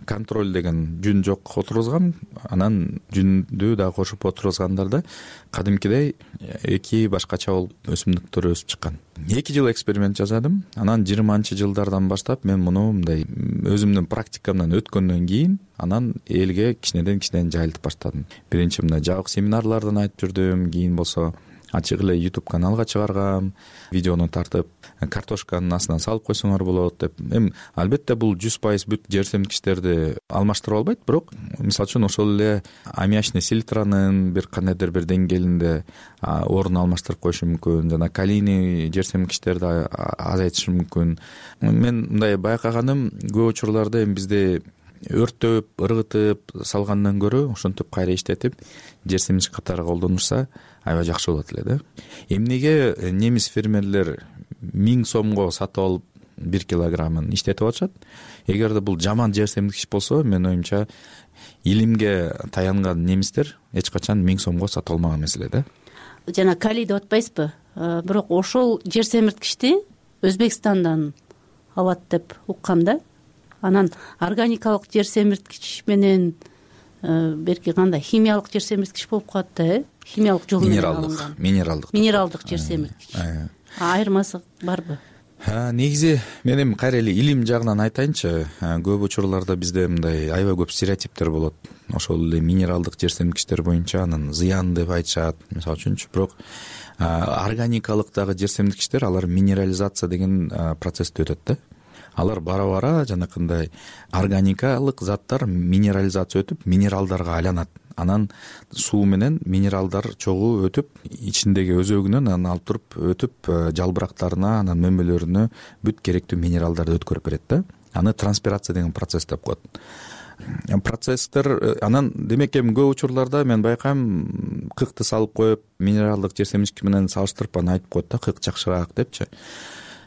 контроль деген жүн жок отургузгам, анан жүндү дагы кошуп отургузгандарда кадимкидей эки башкача болуп өсүмдүктөр өсүп чыккан. эки жыл эксперимент жасадым. Анан жыйырманчы жылдардан баштап мен муну мындай өзүмдүн практикамдан өткөндөн кийин анан элге кичинеден кичинеден жайылтып баштадым. Биринчи мындай жабык семинарлардан айтып жүрдүм, кийин болсо ачык эле YouTube каналга чыгаргам, видеону тартып, картошканын астына салып койсоңор болот деп. Эми албетте бул жүз пайыз бүт жер семирткичтерди алмаштырып албайт, бирок мисалы үчүн ошол эле аммиачный селитранын бир кандайдыр бир деңгээлинде орун алмаштырып коюшу мүмкүн, жана калийный жер семирткичтерди азайтышы мүмкүн. Мен мындай байкаганым, көп учурларда эми бизде өрттөп, ыргытып салгандан көрө ошентип кайра иштетип жер семирткич катары колдонушса аябай жакшы болот эле да. Эмнеге немис фермерлер миң сомго сатып алып бир килограммын иштетип атышат? Эгерде бул жаман жер семирткич болсо, менин оюмча илимге таянган немистер эч качан миң сомго сатып алмаган маселе да. Жана калий деп атпайсызбы? Бирок ошол жер семирткичти Өзбекстандан алат деп уккам да. Анан органикалык жер семирткич менен берки кандай химиялык жер семирткич болуп калат да, э? Химиялык жол менен алынган. Минералдык. Минералдык жер семирткич. Айырмасы барбы? негизи мен эми кайра эле илим жагынан айтайынчы. Көп учурларда бизде мындай аябай көп стереотиптер болот. Ошол эле минералдык жер семирткичтер боюнча анын зыян деп айтышат, мисалы үчүнчү. Бирок органикалык дагы жер семирткичтер, алар минерализация деген процессти өтөт да. Алар бара-бара жанакындай органикалык заттар минерализация өтүп, минералдарга айланат. Анан суу менен минералдар чогуу өтүп, ичиндеги өзөгүнөн анан алып туруп өтүп, жалбырактарына, анан мөмөлөрүнө бүт керектүү минералдарды өткөрүп берет да. Аны транспирация деген процесс деп коет. Процесстер анан демек эми көп учурларда мен байкайм, кыкты салып коюп, минералдык жер семирткич менен салыштырып аны айтып коет да, кык жакшыраак депчи.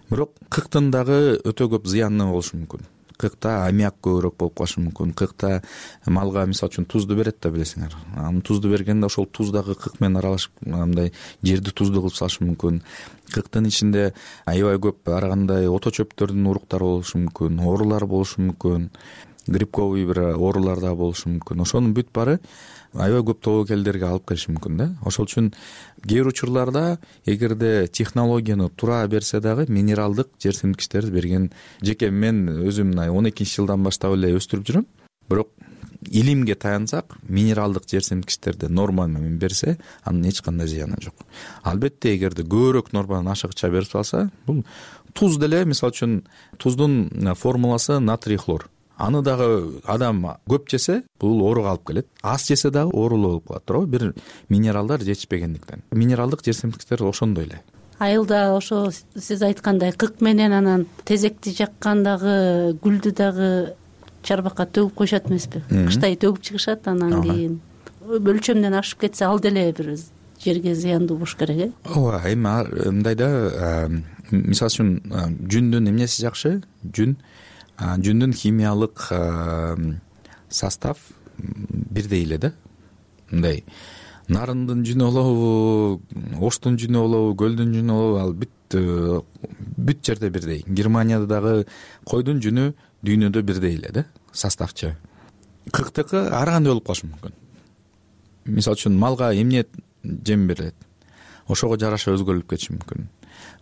Бирок кыктын дагы өтө көп зыяны болушу мүмкүн. Кыкта аммиак көбүрөөк болуп калышы мүмкүн. Кыкта малга мисалы үчүн тузду берет да, билесиңер. Аны тузду бергенде ошол туз дагы кык менен аралашып, мындай жерди туздуу кылып салышы мүмкүн. Кыктын ичинде аябай көп ар кандай ото чөптөрдүн уруктары болушу мүмкүн, оорулар болушу мүмкүн, грибковый бир оорулар да болушу мүмкүн. Ошонун бүт баары аябай көп тобокелдерге алып келиши мүмкүн да. Ошол үчүн кээ бир учурларда эгерде технологияны туура берсе дагы минералдык жер семирткичтерди берген, жеке мен өзүм мына он экинчи жылдан баштап эле өстүрүп жүрөм. Бирок илимге таянсак, минералдык жер семирткичтерди норма менен берсе, анын эч кандай зыяны жок. Албетте эгерде көбүрөөк норманын ашыгыча берип салса, бул туз деле, мисалы үчүн туздун формуласы натрий хлор. Аны дагы адам көп жесе, бул ооруга алып келет. Аз жесе дагы оорулуу болуп калат, туурабы? Бир минералдар жетишпегендиктен. Минералдык жер семирткичтер ошондой эле. Айылда ошо сиз айткандай кык менен анан тезекти жаккандагы гүлдү дагы чарбакка төгүп коюшат эмеспи? Кыштай төгүп чыгышат, анан кийин өлчөмдөн ашып кетсе ал деле бир жерге зыяндуу болуш керек, э? Ооба, эми мындай да, мисалы үчүн жүндүн эмнеси жакшы? Жүн Жүндүн химиялык состав бирдей эле да. Мындай нарындын жүнү болобу, оштун жүнү болобу, көлдүн жүнү болобу, ал бүт бүт жерде бирдей. Германияда дагы койдун жүнү дүйнөдө бирдей эле да, составчы. Кыктыкы ар кандай болуп калышы мүмкүн. Мисалы үчүн малга эмне жем берилет, ошого жараша өзгөрүлүп кетиши мүмкүн.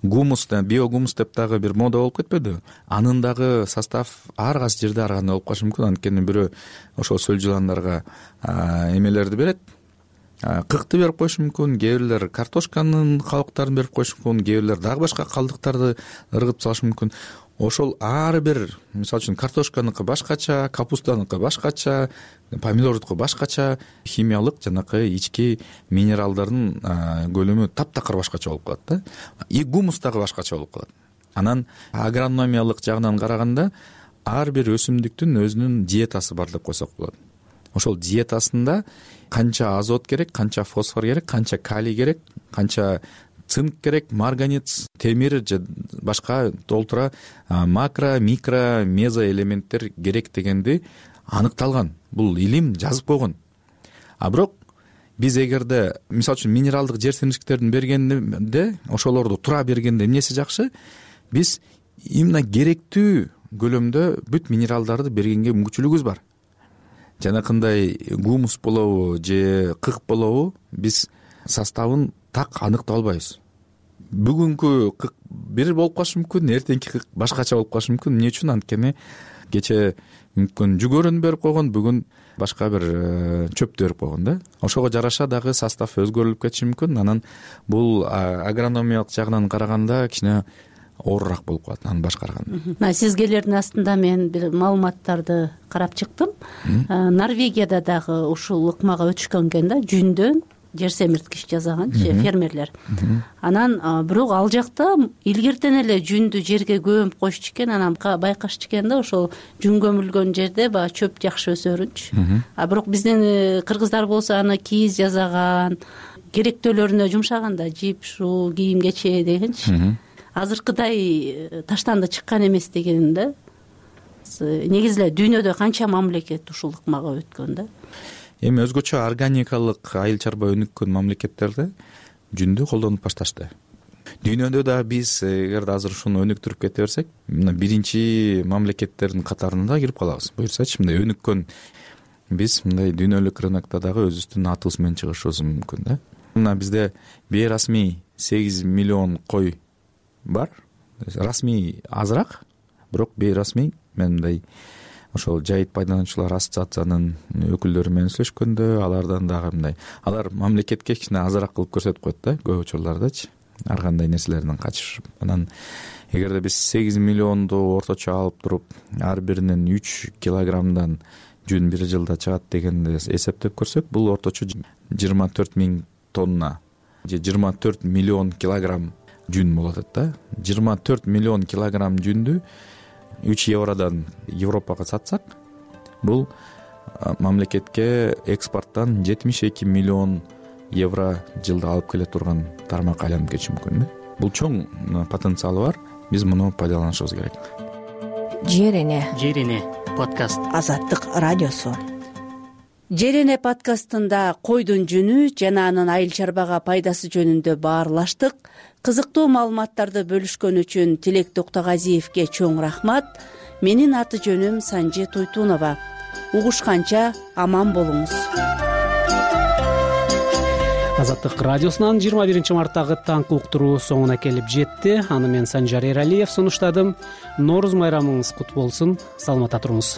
Гумус, биогумус деп дагы бир мода болуп кетпеди? Анын дагы состав ар кайсы жерде ар кандай болуп калышы мүмкүн. Анткени бирөө ошол сөл жыландарга эмелерди берет, кыкты берип коюшу мүмкүн, кээ бирлер картошканын кабыктарын берип коюшу мүмкүн, кээ бирлер дагы башка калдыктарды ыргытып салышы мүмкүн. Ошол ар бир, мисалы үчүн картошканыкы башкача, капустаныкы башкача, помидордуку башкача, химиялык жанакы ички минералдардын көлөмү таптакыр башкача болуп калат да. И гумус дагы башкача болуп калат. Анан агрономиялык жагынан караганда ар бир өсүмдүктүн өзүнүн диетасы бар деп койсок болот. Ошол диетасында канча азот керек, канча фосфор керек, канча калий керек, канча цинк керек, марганец, темир же башка толтура макро, микро, мезо элементтер керек дегенди аныкталган. Бул илим жазып койгон. А бирок биз эгерде мисалы үчүн минералдык жер семирткичтердин бергенде, ошолорду туура бергенде эмнеси жакшы? Биз именно керектүү көлөмдө бүт минералдарды бергенге мүмкүнчүлүгүбүз бар. Жанакындай гумус болобу же кык болобу, биз составын так аныктап албайбыз. Бүгүнкү кык бир болуп калышы мүмкүн, эртеңки кык башкача болуп калышы мүмкүн. Эмне үчүн? Анткени кече мүмкүн жүгөрүн берип койгон, бүгүн башка бир чөптү берип койгон да. Ошого жараша дагы состав өзгөрүлүп кетиши мүмкүн. Анан бул агрономиялык жагынан караганда кичине оорураак болуп калат анын башкарганы. Мына сизгелердин астында мен бир маалыматтарды карап чыктым. Норвегияда дагы ушул ыкмага өтүшкөн экен да, жүндөн жер семирткич жасаганчы фермерлер. Анан бирок ал жакта илгертен эле жүндү жерге көмүп коюшчу экен, анан байкашчу экен да, ошол жүн көмүлгөн жерде баягы чөп жакшы өсөрүнчү. А бирок биздин кыргыздар болсо аны кийиз жасаган, керектөөлөрүнө жумшаган да, жип, шуу, кийим кече дегенчи. Азыркыдай таштанды чыккан эмес деген да. Негизи эле дүйнөдө канча мамлекет ушул ыкмага өткөн да. Эми өзгөчө органикалык айыл чарба өнүккөн мамлекеттерде жүндү колдонуп башташты. Дүйнөдө да биз эгерде азыр ушуну өнүктүрүп кете берсек, мына биринчи мамлекеттердин катарына кирип калабыз. Буюрсачы, мындай өнүккөн биз мындай дүйнөлүк рынокто дагы өзүбүздүн атыбыз менен чыгышыбыз мүмкүн да. Мына бизде бейрасмий сегиз миллион кой бар расмий азыраак, бирок бейрасмий мен мындай ошол жайыт пайдалануучулар ассоциациянын өкүлдөрү менен сүйлөшкөндө алардан дагы мындай алар мамлекетке кичине азыраак кылып көрсөтүп коет да көп учурлардачы ар кандай нерселерден качышып. Анан эгерде биз сегиз миллионду орточо алып туруп ар биринен үч килограммдан жүн бир жылда чыгат дегенди эсептеп көрсөк, бул орточо жыйырма төрт миң тонна же жыйырма төрт миллион килограмм жүн болот да. жыйырма төрт миллион килограмм жүндү үч евродон Европага сатсак, бул мамлекетке экспорттон жетимиш эки миллион евро жылда алып келе турган тармакка айланып кетиши мүмкүн да. Бул чоң потенциалы бар, биз муну пайдаланышыбыз керек. Жер эне жер эне подкаст Азаттык радиосу. Жер эне подкастында койдун жүнү жана анын айыл чарбага пайдасы жөнүндө баарлаштык. Кызыктуу маалыматтарды бөлүшкөн үчүн Тилек Токтогазиевге чоң рахмат. Менин аты жөнүм Санжи Туйтунова. Угушканча аман болуңуз. Азаттык радиосунан жыйырма биринчи марттагы таңкы уктуруу соңуна келип жетти. Аны мен Санжар Эралиев сунуштадым. Нооруз майрамыңыз кут болсун. Саламатта туруңуз.